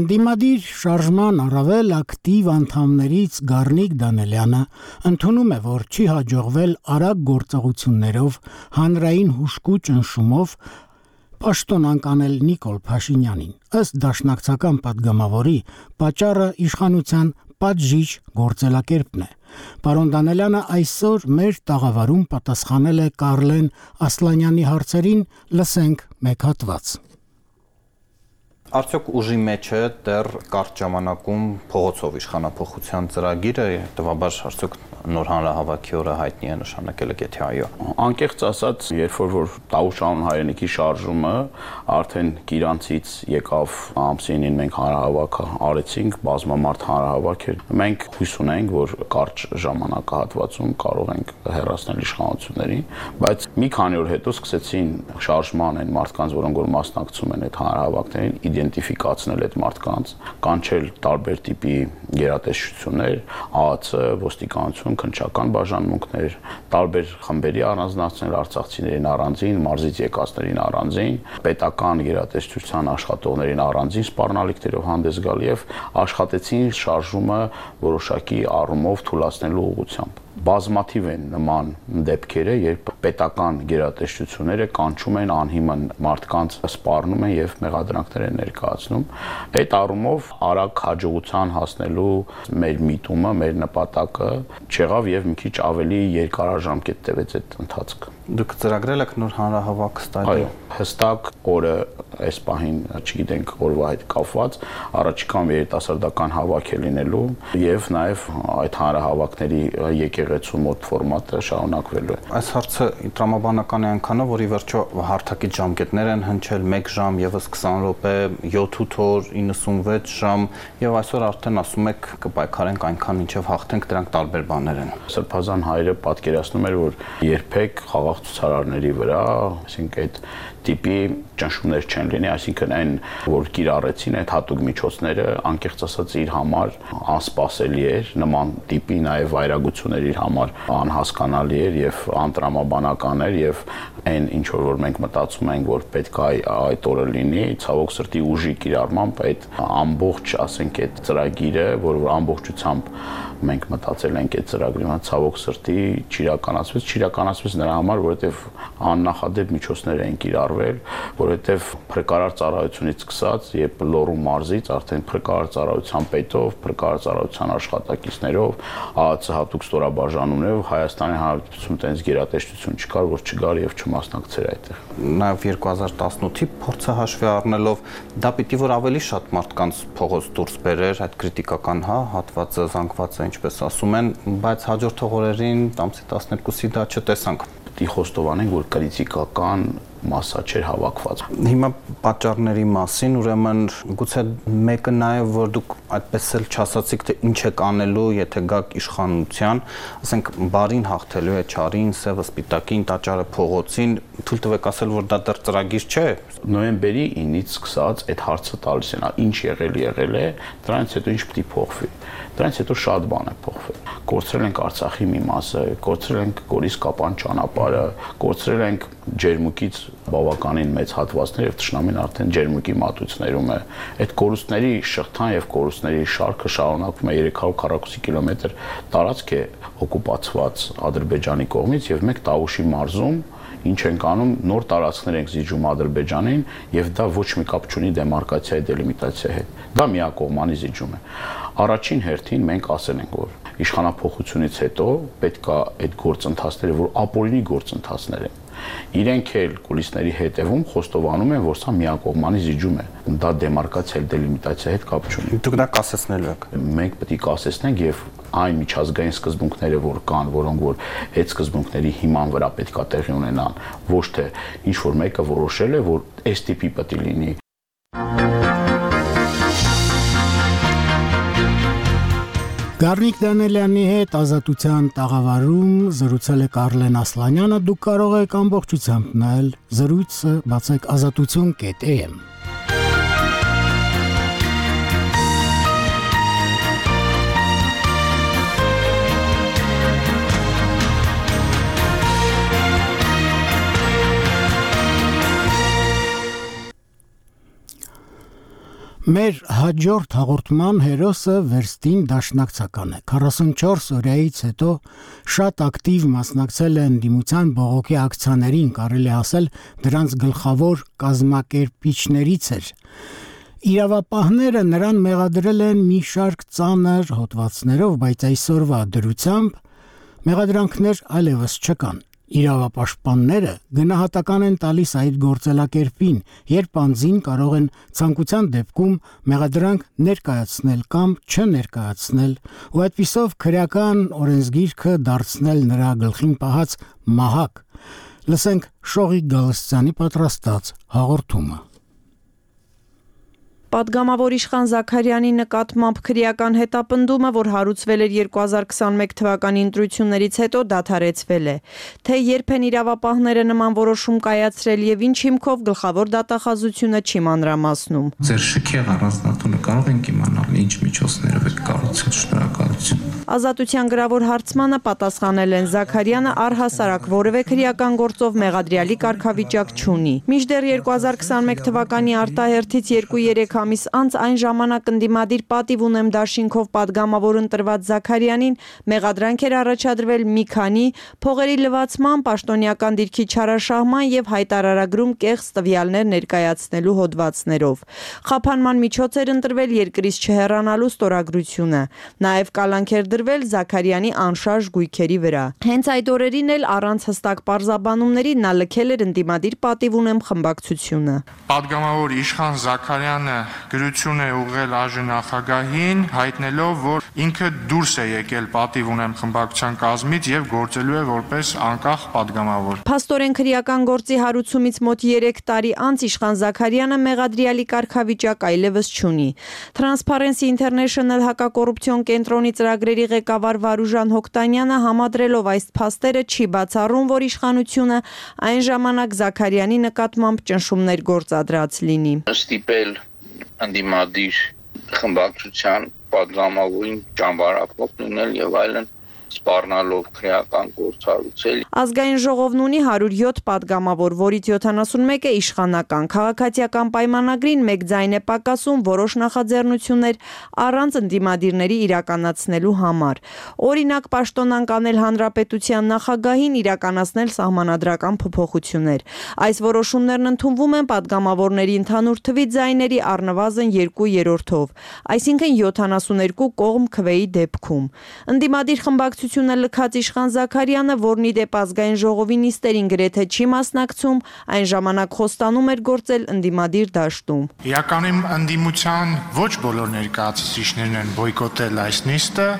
Ընդդիմադիր շարժման առավել ակտիվ անդամներից Գառնիկ Դանելյանը ընդունում է, որ չի հաջողվել արագ գործողություններով, հանրային հուժկու ճնշումով պաշտոն անկանել Նիկոլ Փաշինյանին։ Ըստ դաշնակցական պատգամավորի, պատճառը իշխանության պատժիչ գործելակերպն է։ Պարոն Դանելյանը այսօր մեր տաղավարում պատասխանել է Կարլեն Ասլանյանի հարցերին, լսենք մեկ հատված։ Արդյոք ուժի մեջ է դեռ կարճ ժամանակում փողոցով իշխանափոխության ծրագիրը, հետևաբար արդյոք նոր հանրահավաքի օրը հայտնի է նշանակել եք, եթե այո։ Անկեղծ ասած, երբ որ Տավուշանուն հայրենիքի շարժումը արդեն Գիրանցից եկավ ամսինին մենք հանրահավաք արեցինք, բազմամարդ հանրահավաք էր։ Մենք հույս ունենք, որ կարճ ժամանակահատվածում կարող ենք հեռացնել իշխանություններին, բայց մի քանի օր հետո սկսեցին շարժման այն մարդկանց, որոնք որ մասնակցում են այդ հանրահավաքներին, իդենտիֆիկացնել այդ մարդկանց, կանչել տարբեր տիպի գերատեսչություններ, ԱԱՑ, ոստիկանություն, քննչական բաժանմունքներ, տարբեր խմբերի առանձնացնել արցախցիներին առանձին, մարզից եկածներին առանձին, պետական գերատեսչության աշխատողներին առանձին սպառնալիքներով հանդես գալ եւ աշխատեցին շարժումը որոշակի առումով թույլատնելու ուղղությամբ։ Բազմաթիվ են նման դեպքերը, երբ պետական գերատեսչությունները կանչում են անհիմն մարդկանց, սպառնում են եւ մեղադրանքներ են ներկայացնում։ Այդ առումով արագ հաջողության հասնելու մեր միտումը, մեր նպատակը չեղավ եւ մի քիչ ավելի երկարաժամկետ տևեց այդ ընթացքը։ Դուք ծրագրել եք նոր հանրահավաք ստայել։ Այո, հստակ օրը այս պահին չգիտենք օրվա հետ կապված, առաջիկան երիտասարդական հավաք է լինելու եւ նաեւ այդ հանրահավաքների եկեղեցու մոտ ֆորմատը շարունակվելու է։ Այս հարցը տրամաբանական է այնքանով, որ ի վերջո հարթակից ժամկետներ են հնչել 1 ժամ եւս 20 րոպե, 7-8 օր, 96 ժամ եւ այսօր արդեն ասում եք կպայքարենք այնքան մինչեւ հաղթենք, դրանք տարբեր բաներ են։ Սրբազան հայրը պատկերացնում էր, որ երբեք խաղաղ ցուցարարների վրա, այսինքն այդ տիպի ճնշումներ չեն լինի, այսինքն այն, որ կիրառեցին այդ հատուկ միջոցները, անկեղծ ասած իր համար անսպասելի էր, նման տիպի նաև վայրագություններ իր համար անհասկանալի էր եւ անտրամաբանական էր եւ այն ինչ որ մենք մտածում ենք, որ պետք է այդ օրը լինի, ցավոք սրտի ուժի կիրառմամբ այդ ամբողջ, ասենք, այդ ծրագիրը, որ ամբողջությամբ մենք մտածել ենք այդ ծրագրի համար, ցավոք սրտի չիրականացվեց նրա համար, որովհետեւ աննախադեպ միջոցներ էին կիրառվել, որովհետեւ փրկարար ծառայությունից սկսած, երբ Լոռու մարզից արդեն փրկարար ծառայության պետով, փրկարար ծառայության աշխատակիցներով, ԱԱՑ հատուկ ստորաբաժանումներով Հայաստանի Հանրապետություն տենց գերատեսչություն չկար, որ չգար եւ չմասնակցեր այդտեղ։ Նաեւ 2018-ի փորձը հաշվի առնելով, դա պիտի որ ավելի շատ մարդկանց փողոց դուրս բերեր, այդ քրիտիկական հատվածը, զանգվածը, ինչպես ասում են, բայց հաջորդ օրերին ամսի 12-ի դա չտեսանք։ Պետք է խոստովանենք, որ քրիտիկական մասսա չէր հավաքված։ Հիմա պատճառների մասին, ուրեմն գուցե մեկը նաև որ դուք այդպես էլ չասացիք, թե ինչ եք անելու, եթե գաք իշխանության, ասենք բարին հաղթելու է չարին, սևը սպիտակին, տաճարը փողոցին, թույլ տվեք ասել, որ դա դեռ ծրագիր չէ։ Նոյեմբերի 9-ից սկսած այդ հարցը տալիս են, ինչ եղել է, դրանից հետո ինչ պետք է փոխվի։ Դրանից հետո շատ բան է փոխվել։ Կորցրել ենք Արցախի մի մասը, կորցրել ենք Գորիս-Կապան ճանապարհը, կորցրել ենք ջերմուկից բավականին մեծ հատվածներ եւ թշնամին արդեն ջերմուկի մատուցներում է։ Այդ կորուստների շղթան եւ կորուստների շարքը շարունակվում է 340 կիլոմետր տարածք է օկուպացված Ադրբեջանի կողմից եւ մենք Տավուշի մարզում ինչ ենք անում, նոր տարածքներ ենք զիջում Ադրբեջանին եւ դա ոչ մի կապ չունի դեմարկացիայի դելիմիտացիայի հետ։ Դա միակողմանի զիջում է։ Առաջին հերթին մենք ասել ենք, որ իշխանափոխությունից հետո պետք է այդ գործընթացները, որ ապօրինի գործընթացներ են, իրենք էլ կուլիսների հետևում խոստովանում են, որ սա միակողմանի զիջում է։ Դա դեմարկացիա, դելիմիտացիայի հետ կապ չունի։ Դուք դա կասեցնելու եք։ Մենք պետք է կասեցնենք եւ այն միջազգային սկզբունքները, որ կան, որոնք որ այդ սկզբունքների հիման վրա պետք է տեղի ունենան, ոչ թե ինչ որ մեկը որոշել է, որ այս տիպի պետք է լինի։ Գառնիկ Դանելյանի հետ Ազատության տաղավարում զրուցել է Կարլեն Ասլանյանը, դուք կարող եք ամբողջությամբ նայել զրույցը բացեք azatutyon.am։ Մեր հաջորդ հաղորդման հերոսը վերստին դաշնակցական է։ 44 օրյայից հետո շատ ակտիվ մասնակցել է ընդդիմության բողոքի ակցիաներին, կարելի ասել դրանց գլխավոր կազմակերպիչներից էր։ Իրավապահները նրան մեղադրել են մի շարք ծանր հոդվածներով, բայց այսօրվա դրությամբ մեղադրանքներ այլևս չկան։ Իրավապաշտպանները գնահատական են տալիս այդ գործելակերպին, երբ անձին կարող են ցանկության դեպքում մեղադրանք ներկայացնել կամ չներկայացնել, ու այդպիսով քրեական օրենսգիրքը դարձնել նրա գլխին պահած մահակ։ Լսենք Շողիկ Գալստյանի պատրաստած հաղորդումը։ Պատգամավոր Իշխան Զաքարյանի նկատմամբ քրեական հետապնդումը, որ հարուցվել էր 2021 թվականի ընտրություններից հետո, դադարեցվել է։ Թե երբ են իրավապահները նման որոշում կայացրել եւ ինչ հիմքով, գլխավոր դատախազությունը չի մանրամասնում։ Ձեր շքեղ առանձնատունը կարող ենք իմանալ ինչ միջոցներով եք կառուցել, շնորհակալություն։ Ազատության գրավոր հարցմանը պատասխանել են Զաքարյանը առհասարակ որևէ քրեական գործով մեղադրյալի կարգավիճակ չունի։ Մինչդեռ 2021 թվականի արտահերթից 2-3 ամիս անց այն ժամանակ ընդդիմադիր պատիվ ունեմ դաշինքով պատգամավոր ընտրված Զաքարյանին մեղադրանք էր առաջադրվել մի քանի փողերի լվացման, պաշտոնյական դիրքի չարաշահման եւ հայտարարագրում կեղծ տվյալներ ներկայացնելու հոդվածներով։ Խափանման միջոց էր ընտրվել երկրից չհեռանալու ստորագրությունը։ Նաեւ կալանք էր դրվել Զաքարյանի անշարժ գույքերի վրա։ Հենց այդ օրերին էլ առանց հստակ պարզաբանումների նա լքել էր ընդդիմադիր պատիվ ունեմ խմբակցությունը։ Պատգամավոր Իշխան Զաքարյանը գրություն է ուղղել ԱԺ նախագահին, հայտնելով, որ ինքը դուրս է եկել պատիվ ունեմ խմբակցության կազմից եւ գործելու է որպես անկախ պատգամավոր։ Փաստորեն քրեական գործի հարուցումից մոտ 3 տարի անց Իշխան Զաքարյանը մեղադրյալի կարգավիճակ այլևս չունի։ Transparency International հակակոռուպցիոն կենտրոնի ծրագրերի ղեկավար Վարուժան Հոկտանյանը համադրելով այս փաստերը չի բացառում, որ իշխանությունը այն ժամանակ Զաքարյանի նկատմամբ ճնշումներ գործադրած լինի։ Ստիպել ընդդիմադիր խմբակցության պատգամավորին ճամբարափոխ լինել եւ այլն սպառնալով քրեական գործ հարուցել։ Ազգային ժողովն ունի 107 պատգամավոր, որից 71-ը իշխանական։ Քաղաքացիական պայմանագրին մեկ ձայն է պակասում որոշ նախաձեռնություններ առանց ընդդիմադիրների իրականացնելու համար։ Օրինակ, պաշտոնանկ անել հանրապետության նախագահին իրականացնել սահմանադրական փոփոխություններ։ Այս որոշումներն ընդունվում են պատգամավորների ընդհանուր թվի ձայների առնվազն 2/3-ով, այսինքն 72 կողմ քվեի դեպքում։ Ընդդիմադիր խմբակցությունը լքած Իշխան Զաքարյանը, որն ի դեպ ազգային ժողովի նիստերին գրեթե չի մասնակցում, այն ժամանակ խոստանում էր գործել ընդդիմադիր դաշտում։ Իրականում ընդդիմության ոչ բոլոր ներկայացուցիչներն են բոյկոտել այս նիստը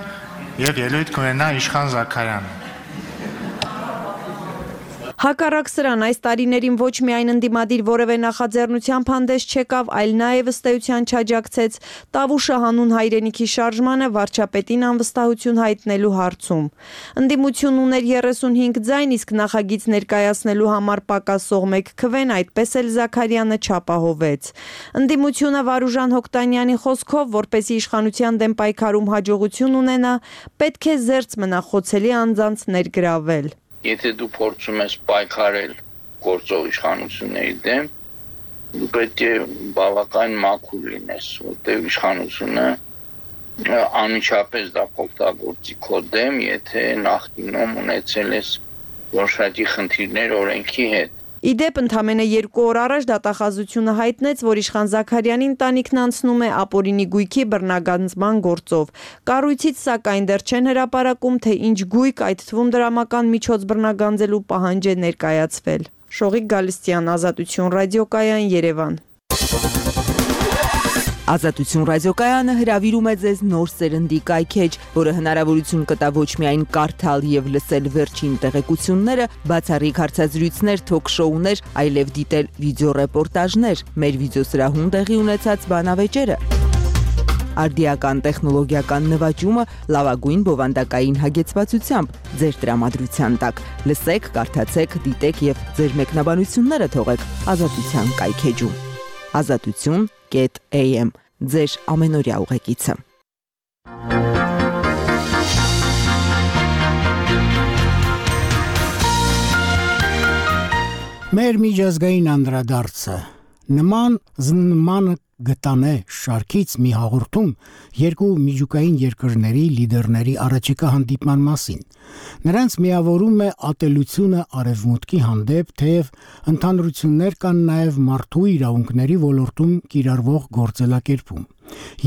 եւ ելույթ կունենա Իշխան Զաքարյանը։ Հակառակ սրան այս տարիներին ոչ միայն ընդդիմադիր որևէ նախաձեռնությամբ հանդես չեկավ, այլ նաև ըստ էության չաջակցեց Տավուշը հանուն հայրենիքի շարժմանը վարչապետին անվստահություն հայտնելու հարցում։ Ընդդիմություն ուներ 35 ձայն, իսկ նախագիծ ներկայացնելու համար պակասող 1 քվեն, այդպես էլ Զաքարյանը չապահովեց։ Ընդդիմությունը Վարուժան Հոկտանյանի խոսքով, որպեսզի իշխանության դեմ պայքարում հաջողություն ունենա, պետք է զերծ մնա խոցելի անձանց ներգրավել։ Եթե դու փորձում ես պայքարել գործող իշխանությունների դեմ, դու պետք է բավական մաքուր լինես, որտեղ իշխանությունը անմիջապես դա կօգտագործի քո դեմ, եթե նախկինում ունեցել ես որոշակի խնդիրներ օրենքի հետ։ Իդեպ ընդամենը 2 օր առաջ դատախազությունը հայտնեց, որ Իշխան Զաքարյանի ընտանիքն անցնում է ապօրինի գույքի բռնագանձման գործով։ Կառույցից սակայն դեռ չեն հրապարակում, թե ինչ գույք, այդ թվում դրամական միջոց բռնագանձելու պահանջ է ներկայացվել։ Շողիկ Գալստյան, Ազատություն ռադիոկայան, Երևան։ Ազատություն ռադիոկայանը հրավիրում է ձեզ նոր սերնդի կայքեջ, որը հնարավորություն կտա ոչ միայն կարդալ եւ լսել վերջին տեղեկությունները, բացառիկ հարցազրույցներ, թոք-շոուներ, այլև դիտել վիդեոռեպորտաժներ, մեր վիդեոսրահում տեղի ունեցած բանավեճերը։ Արդիական տեխնոլոգիական նվաճումը լավագույն բովանդակային հագեցվածությամբ ձեր տրամադրության տակ։ Լսեք, կարդացեք, դիտեք եւ ձեր մեկնաբանությունները թողեք Ազատության կայքեջում։ Azatutun.am ձեր ամենօրյա ուղեկիցը։ Մեր միջազգային անդրադարձը նման գտանե շարքից մի հաղորդում երկու միջուկային երկրների լիդերների առաջիկա հանդիպման մասին։ Նրանց միավորում է ատելությունը արևմուտքի հանդեպ, թեև ընդհանրություններ կան նաև մարդու իրավունքների ոլորտում կիրառվող գործելակերպում։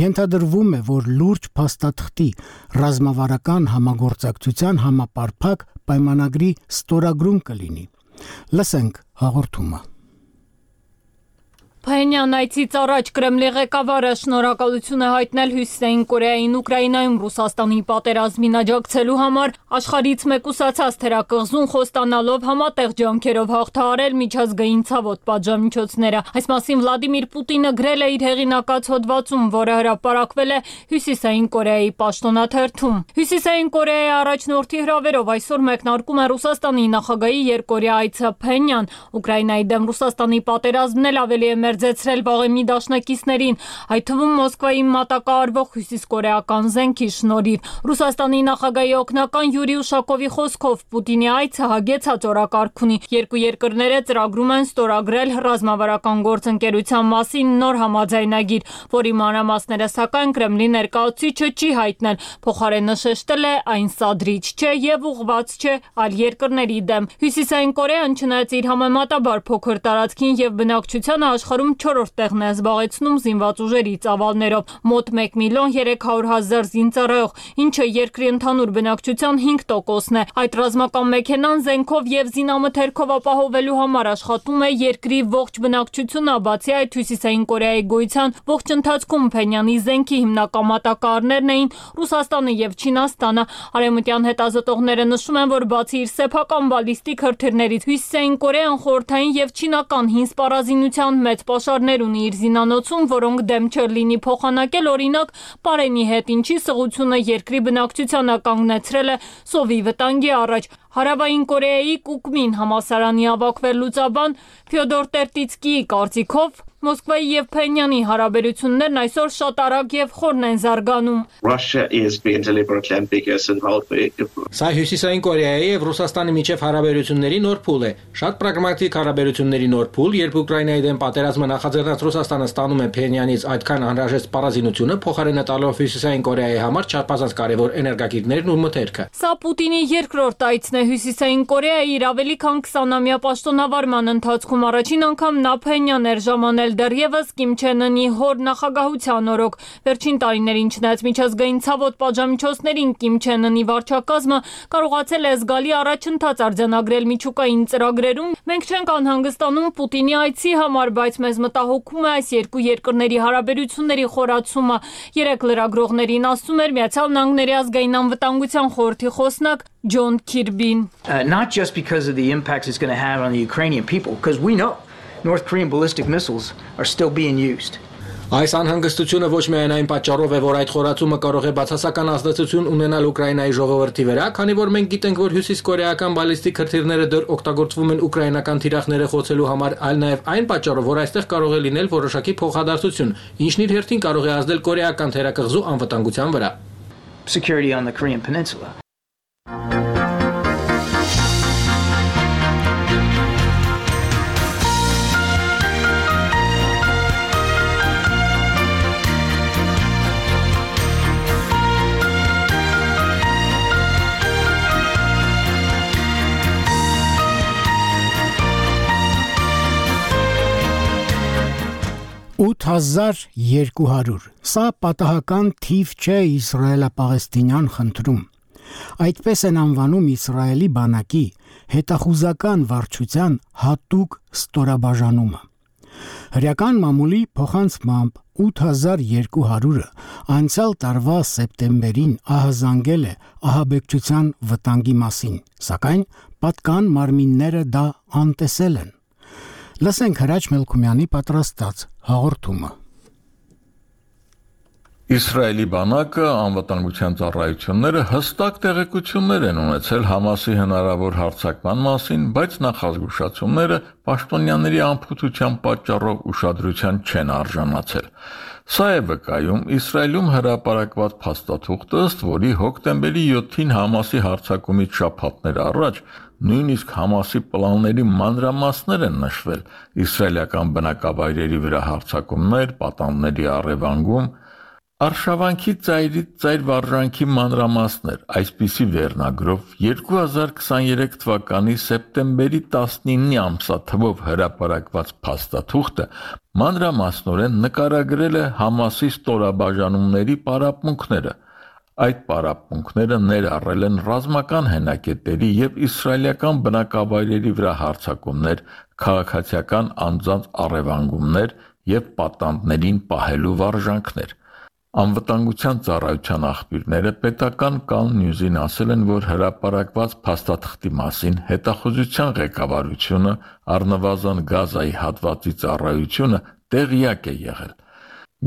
Ենթադրվում է, որ լուրջ փաստաթղթի ռազմավարական համագործակցության համապարփակ պայմանագրի ստորագրում կլինի։ Լսենք հաղորդումը։ Փայինյան այցից առաջ Կրեմլի ղեկավարը շնորհակալություն է հայտնել Հյուսիսային Կորեային Ուկրաինայում Ռուսաստանի պատերազմին աջակցելու համար, աշխարհից մեկուսացած թերակղզուն խոստանալով համատեղ ջանքերով հաղթահարել միջազգային ցավոտ պատժամիջոցները։ Այս մասին Վլադիմիր Պուտինը գրել է իր հեղինակած հոդվածում, որը հրապարակվել է Հյուսիսային Կորեայի պաշտոնաթերթում։ Հյուսիսային Կորեայի առաջնորդի հրավերով այսօր մեկնարկում է Ռուսաստանի նախագահի երկօրյա այցը Փենյան։ Ուկրաինայի դեմ Ռուսաստանի պատերազմն էլ ավելի է մերձեցրել վաղեմի դաշնակիցներին, այդ թվում Մոսկվայի մատակարարվող հյուսիսկորեական զենքի շնորհիվ։ Ռուսաստանի նախագահի օգնական Յուրի Ուշակովի խոսքով Պուտինի այցը հագեցած օրակարգ ունի։ Երկու երկրները ծրագրում են ստորագրել ռազմավարական գործընկերության մասին նոր համաձայնագիր, որի մանրամասները սակայն Կրեմլի ներկայացուցիչը չի հայտնել, փոխարենը շեշտել է այն սադրիչ չէ եւ ուղղված չէ այլ երկրների դեմ։ Հյուսիսային Կորեան չնայած իր համեմատաբար փոքր տարածքին եւ բնակչությանը աշխարհում 4-րդ տեղն է զբաղեցնում զինված ուժերի ծավալներով, մոտ 1.300.000 զինծառայող, ինչը երկրի ընդհանուր բնակչության 5%-ն է։ Այդ ռազմական մեքենան զենքով եւ զինամթերքով ապահովելու համար աշխատում է երկրի ողջ բնակչությունը, բացի այդ Հյուսիսային Կորեայի գոյության ողջ ընթացքում Փենյանի զենքի հիմնական մատակարարներն էին Ռուսաստանը եւ Չինաստանը։ Արևմտյան հետազոտողները նշում են, որ բացի իր սեփական բալիստիկ հրթիռներից, Հյուսիսային Կորեան խորհրդային եւ չինական հին սպառազինության մեծ պաշարներ ունի իր զինանոցում, որոնք դեմ չէր լինի փոխանակել օրինակ Պարենի հետ, ինչի սղությունը երկրի բնակչությանը կանգնեցրել է սովի վտանգի առաջ։ Հարավային Կորեայի Կուկմին համալսարանի ավագ վերլուծաբան Ֆյոդոր Տերտիցկիի կարծիքով Մոսկվայի եւ Փենյանի հարաբերություններն այսօր շատ արագ եւ խորն են զարգանում։ Սա Հյուսիսային Կորեայի եւ Ռուսաստանի միջև հարաբերությունների նոր փուլ է։ Շատ պրագմատիկ հարաբերությունների նոր փուլ, երբ Ուկրաինայի դեմ պատերազմը նախաձեռնած Ռուսաստանը ստանում է Փենյանից այդքան անհրաժեշտ սպառազինությունը, փոխարենը տալով Հյուսիսային Կորեայի համար չափազանց կարևոր էներգակիրներն ու մթերքը։ Սա Պուտինի երկրորդ այցն է Հյուսիսային Կորեայի իր ավելի քան 20-ամյա պաշտոնավարման ընթացքում։ Առաջին անգամ նա Փենյան էր ժամանել դեռևս Կիմ Չեն Ընի հոր նախագահության օրոք։ Վերջին տարիներին չնայած միջազգային ցավոտ պատժամիջոցներին Կիմ Չեն Ընի վարչակազմը կարողացել է զգալի առաջընթաց արձանագրել միջուկային ծրագրերում։ Մենք չենք անհանգստանում Պուտինի այցի համար, բայց մեզ մտահոգում է այս երկու երկրների հարաբերությունների խորացումը։ Երեք լրագրողներին ասում էր Միացյալ Նահանգների ազգային անվտանգության խորհրդի խոսնակ Ջոն Քիրբին. Not just because of the impacts it's going to have on the Ukrainian people, because we know North Korean ballistic missiles are still being used. Այս անհանգստությունը ոչ միայն այն պատճառով է, որ այդ խորացումը կարող է բացասական ազդեցություն ունենալ Ուկրաինայի ժողովրդի վրա, քանի որ մենք գիտենք, որ հյուսիսկորեական բալիստիկ հրթիռները դեռ օգտագործվում են ուկրաինական թիրախները խոցելու համար, այլ նաև այն պատճառով, որ այստեղ կարող է լինել որոշակի փոխադարձություն, ինչն իր հերթին կարող է ազդել կորեական թերակղզու անվտանգության վրա։ Security on the Korean Peninsula. $8,200 Սա պատահական թիվ չէ իսրայելա-պաղեստինյան խնդրում։ Այդպես են անվանում Իսրայելի բանակի հետախուզական վարչության հատուկ ստորաբաժանումը։ Հրեական մամուլի փոխանցմամբ 8,200-ը անցյալ տարվա սեպտեմբերին ահազանգել է ահաբեկչության վտանգի մասին, սակայն պատկան մարմինները դա անտեսել են։ Լսենք Հրաչ Մելքումյանի պատրաստած հաղորդումը։ Իսրայելի բանակը անվտանգության ծառայությունները հստակ տեղեկություններ են ունեցել Համասի հնարավոր հարձակման մասին, բայց նախազգուշացումները պաշտոնյաների անփութության պատճառով ուշադրության չեն արժանացել։ Սա է վկայում Իսրայելում հրապարակված փաստաթուղթը, ըստ որի հոկտեմբերի 7-ին Համասի հարձակումից շաբաթներ առաջ նույնիսկ Համասի պլանների մանրամասներ են նշվել՝ իսրայելական բնակավայրերի վրա հարձակումներ, պատանդների առևանգում, Արշավանքի ծայրից ծայր վարժանքի մանրամասներ, այսպիսի վերնագրով 2023 թվականի սեպտեմբերի 19-ի ամսաթվով հրապարակված փաստաթուղթը մանրամասնորեն նկարագրել է Համասի ստորաբաժանումների պարապմունքները։ Այդ պարապմունքները ներառել են ռազմական հենակետերի եւ իսրայելական բնակավայրերի վրա հարձակումներ, քաղաքացիական անձանց առևանգումներ եւ պատանդներին պահելու վարժանքներ։ Անվտանգության ծառայության աղբյուրները պետական Cal News-ին ասել են, որ հրապարակված փաստաթղթի մասին հետախուզության ղեկավարությունը, առնվազն Գազայի հատվածի ծառայությունը տեղյակ է եղել։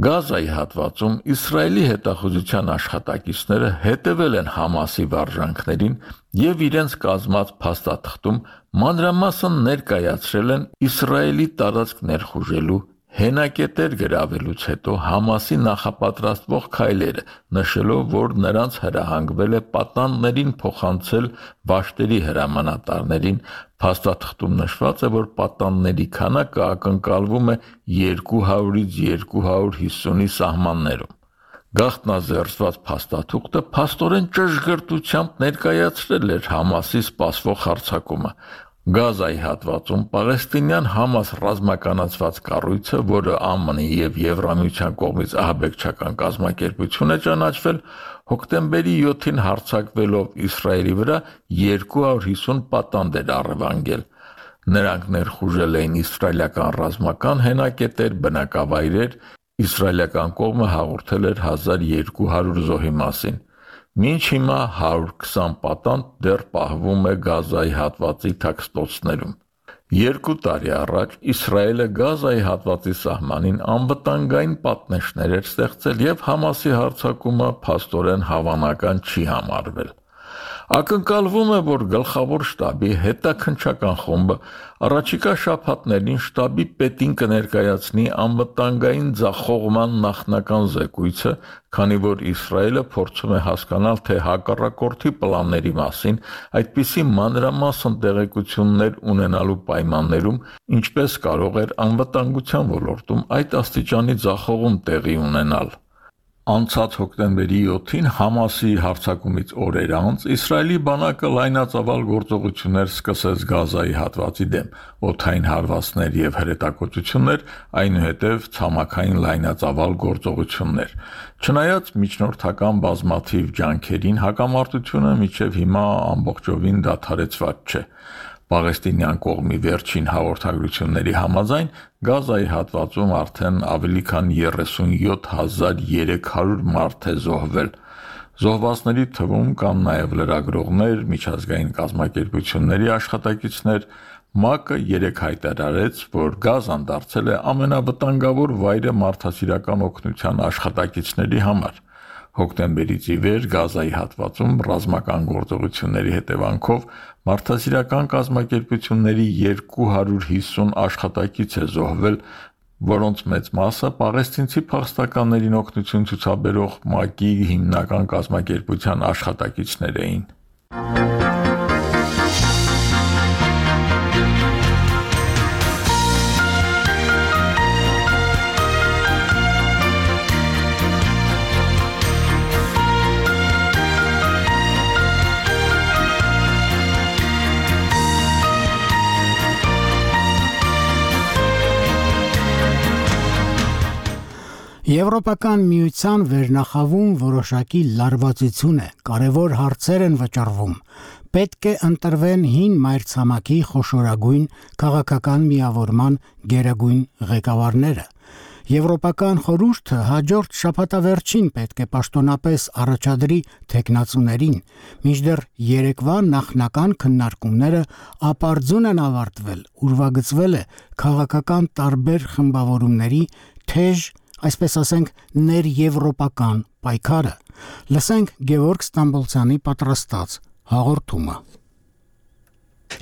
Գազայի հատվածում Իսրայելի հետախուզության աշխատակիցները հետևել են Համասի վարժանքներին եւ իրենց կազմած փաստաթղթում մանրամասն ներկայացրել են Իսրայելի տարածք ներխուժելու հենակետեր գրավելուց հետո Համասի նախապատրաստվող քայլերը, նշելով, որ նրանց հրահանգվել է պատանդներին փոխանցել վաշտերի հրամանատարներին, փաստաթղթում նշված է, որ պատանդների քանակը ակնկալվում է 200-ից 250-ի սահմաններում։ Գաղտնազերծված փաստաթուղթը փաստորեն ճշգրտությամբ ներկայացրել էր Համասի սպասվող հարձակումը։ Գազայի հատվածում պաղեստինյան Համաս ռազմականացված կառույցը, որը ԱՄՆ-ի եւ Եվրամիության կողմից ահաբեկչական կազմակերպություն է ճանաչվել, հոկտեմբերի 7-ին հարձակվելով Իսրայելի վրա 250 պատանդ էր առևանգել։ Նրանք ներխուժել էին իսրայելական ռազմական հենակետեր, բնակավայրեր, իսրայելական կողմը հաղորդել էր 1200 զոհի մասին։ Մինչ հիմա 120 պատանդ դեռ պահվում է Գազայի հատվածի թաքստոցներում։ 2 տարի առաջ Իսրայելը Գազայի հատվածի սահմանին անվտանգային պատնեշներ էր ստեղծել եւ Համասի հարձակումը փաստորեն հավանական չի համարվել։ Ակնկալվում է, որ գլխավոր շտաբի հետաքննչական խումբը առաջիկա շաբաթներին շտաբի պետին կներկայացնի անվտանգային ձախողման նախնական զեկույցը, քանի որ Իսրայելը փորձում է հասկանալ, թե հակառակորդի պլանների մասին այդպիսի մանրամասն տեղեկություններ ունենալու պայմաններում ինչպես կարող էր անվտանգության ոլորտում այդ աստիճանի ձախողում տեղի ունենալ։ Անցած հոկտեմբերի 7-ին Համասի հարձակումից օրեր անց Իսրայելի բանակը լայնածավալ գործողություններ սկսեց Գազայի հատվածի դեմ, օդային հարվածներ եւ հրետակոծություններ, այնուհետեւ ցամաքային լայնածավալ գործողություններ։ Չնայած միջնորդական բազմաթիվ ջանքերին, հակամարտությունը մինչև հիմա ամբողջովին դադարեցված չէ։ Պաղեստինյան կողմի վերջին հաղորդագրությունների համաձայն Գազայի հատվածում արդեն ավելի քան 37300 մարդ է զոհվել։ Զոհվածների թվում կան նաև լրագրողներ, միջազգային կազմակերպությունների աշխատակիցներ։ ՄԱԿ-ը երեկ հայտարարեց, որ Գազան դարձել է ամենավտանգավոր վայրը մարդասիրական օգնության աշխատակիցների համար։ Հոկտեմբերից ի վեր Գազայի հատվածում ռազմական գործողությունների հետևանքով մարդասիրական կազմակերպությունների 250 աշխատակից է զոհվել, որոնց մեծ մասը պաղեստինցի փախստականներին օգնություն ցուցաբերող ՄԱԿ-ի հիմնական կազմակերպության աշխատակիցներ էին։ Եվրոպական միության վերնախավում որոշակի լարվածություն է, կարևոր հարցեր են վճռվում։ Պետք է ընտրվեն հին մայրցամաքի խոշորագույն քաղաքական միավորման գերագույն ղեկավարները։ Եվրոպական խորհուրդը հաջորդ շաբաթավերջին պետք է պաշտոնապես առաջադրի թեկնածուներին, մինչդեռ երեկվա նախնական քննարկումները ապարձուն են ավարտվել, ուրվագծվել է քաղաքական տարբեր խմբավորումների թեժ, այսպես ասենք, ներեվրոպական պայքարը։ Լսենք Գևորգ Ստամբոլցյանի պատրաստած հաղորդումը։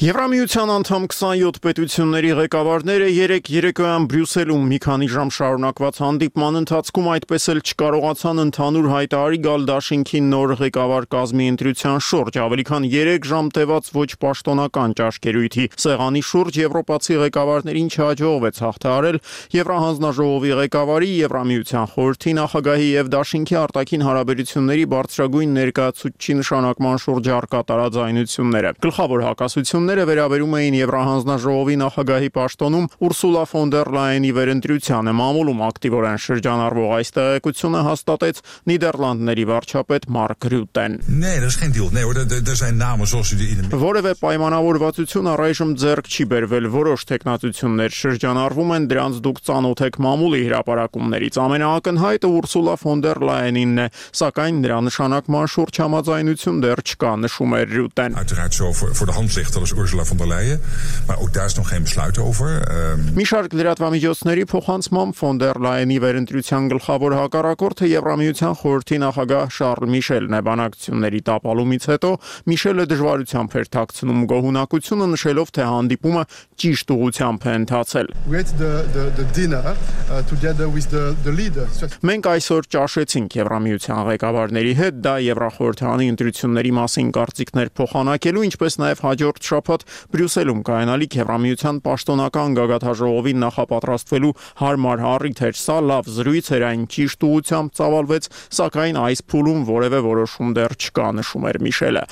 Եվրամիության անդամ 27 պետությունների ղեկավարները երեկոյան Բրյուսելում մի քանի ժամ շարունակված հանդիպման ընթացքում այդպես էլ չկարողացան ընդհանուր հայտարարի գալ դաշինքի նոր ղեկավար կազմի ընտրության շուրջ։ Ավելի քան 3 ժամ տևած ոչ պաշտոնական ճաշկերույթի սեղանի շուրջ եվրոպացի ղեկավարներին չհաջողվեց հաղթահարել Եվրահանձնաժողովի ղեկավարի, Եվրամիության խորհրդի նախագահի եւ դաշինքի արտաքին հարաբերությունների բարձրագույն ներկայացուցչի նշանակման շուրջ առկա տարաձայնությունները։ Գլխավոր հակասությունները վերաբերում էին Եվրահանձնաժողովի նախագահի պաշտոնում Ուրսուլա ֆոն դեր Լայենի վերընտրությանը։ Մամուլում ակտիվորեն շրջանառվող այս տեղեկությունը հաստատեց Նիդերլանդների վարչապետ Մարկ Ռյուտեն։ Որևէ պայմանավորվածություն առայժմ ձեռք չի բերվել, որոշ տեխնացություններ շրջանառվում են, դրանց դուք ծանոթ եք մամուլի հրապարակումներից։ Ամենաակնհայտը Ուրսուլա ֆոն դեր Լայենինն է, սակայն նրա նշանակման շուրջ համաձայնություն դեռ չկա, նշում է Ռյուտեն։ Voor de hand ligt, dat is Ursula von der Leyen, maar ook daar is nog geen besluit over. Մի շարք լրատվամիջոցների փոխանցմամբ ֆոն դեր Լայենի վերընտրության գլխավոր հակառակորդը Եվրամիության խորհրդի նախագահ Շարլ Միշելն է։ Բանակցությունների տապալումից հետո Միշելը դժվարությամբ էր թաքցնում գոհունակությունը, նշելով, թե հանդիպումը ճիշտ ուղղությամբ է ընթացել։ Մենք այսօր ճաշեցինք Եվրամիության ղեկավարների հետ, դա Եվրախորհրդանի ընտրությունների մասին կարծիքներ փոխանակելու, ինչպես նաև հաջորդ շաբաթ Բրյուսելում կայանալիք Եվրամիության պաշտոնական գագաթաժողովին նախապատրաստվելու հարմար առիթ էր։ Սա լավ զրույց էր, այն ճիշտ ուղղությամբ ծավալվեց, սակայն այս փուլում որևէ որոշում դեռ չկա, նշում էր Միշելը։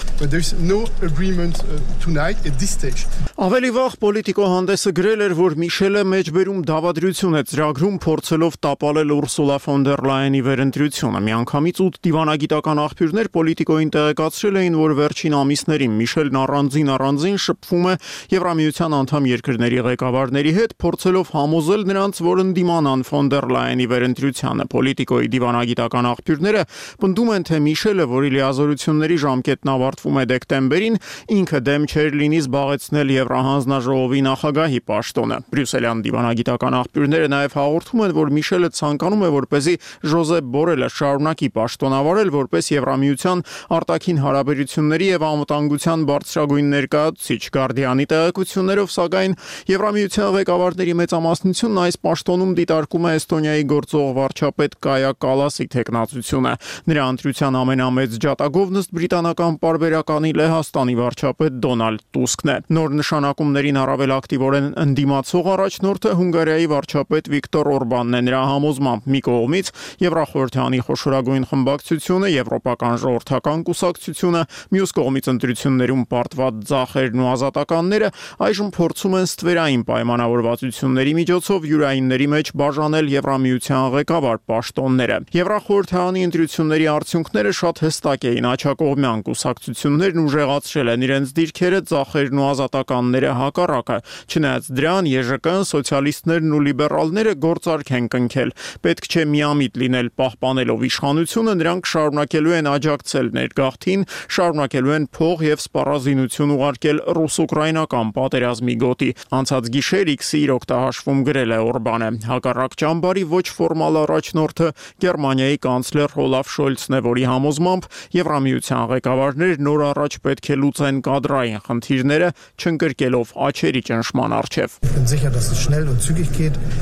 Ավելի վաղ Պոլիտիկո հանդեսը գրել էր, որ Միշելը մեջբերում դավադրություն է ծրագրում, փորձելով տապալել Ուրսուլա ֆոն դեր Լայենի վերընտրությունը։ Միանգամից 8 դիվանագիտական աղբյուրներ Պոլիտիկոին տեղեկացրել էին, որ վերջին ամիսներին Միշելն առանձին շփվում է Եվրամիության անդամ երկրների ղեկավարների հետ, փորձելով համոզել նրանց, որ ընդդիմանան ֆոն դեր Լայենի վերընտրությանը։ Պոլիտիկոյի դիվանագիտական աղբյուրները պնդում են, թե Միշելը, որի լիազորությունների ժամկետն ավարտվում է դեկտեմբերին, ինքը դեմ չէր լինի զբաղեցնել Եվրահանձնաժողովի նախագահի պաշտոնը։ Բրյուսելյան դիվանագիտական աղբյուրները նաև հաղորդում են, որ Միշելը ցանկանում է, որպեսզի Ժոզեփ Բորելը շարունակի պաշտոնավարել որպես Եվրամիության արտաքին հարաբերությունների եւ անվտանգության բարձրագույն ներկայացուցիչ։ Գարդիանի տեղեկություններով, սակայն Եվրամիության ղեկավարների մեծամասնությունն այս պաշտոնում դիտարկում է Էստոնիայի գործող վարչապետ Կայա Կալասի տեխնացությունը։ Նրա ընտրության ամենամեծ ջատագովն ըստ բրիտանական պարբերականի Լեհաստանի վարչապետ Դոնալդ Տուսկն է։ Նոր նշանակումներին առավել ակտիվորեն ընդդիմացող առաջնորդը Հունգարիայի վարչապետ Վիկտոր Օրբանն է։ Նրա համոզմամբ մի կողմից Եվրախորհրդանի խոշորագույն խմբակցությունը, Եվրոպական ժողովրդական կուսակցությունը, մյուս կողմից ընտրություններում պարտված ձախերն ու ազատականները այժմ փորձում են ստվերային պայմանավորվածությունների միջոցով յուրայինների մեջ բաժանել Եվրամիության ղեկավար պաշտոնները։ Եվրախորհրդանի ընտրությունների արդյունքները շատ հստակ էին։ Աջակողմյան կուսակցություններն ուժեղացրել են իրենց դիրքերը, ձախերն ու ազատականները հակառակը։ Չնայած դրան ԵԺԿ-ն, սոցիալիստներն ու լիբերալները գործարք են կնքել։ Պետք չէ միամիտ լինել պահպանելով իշխանությունը, նրանք շարունակելու են աջակցել ներգաղթին, շարունակելու են փող եւ սպառազինություն ուղարկել ռուս-ուկրաինական պատերազմի գոտի։ Անցած գիշեր X-ի իր օգտահաշվում գրել է Օրբանը։ Հակառակ ճամբարի ոչ ֆորմալ առաջնորդը Գերմանիայի կանցլեր Օլաֆ Շոլցն է, որի համոզմամբ Եվրամիության ղեկավարներ նոր առաջ պետք է լուծեն կադրային խնդիրները, չընկրկելով աչերի ճնշման առջև։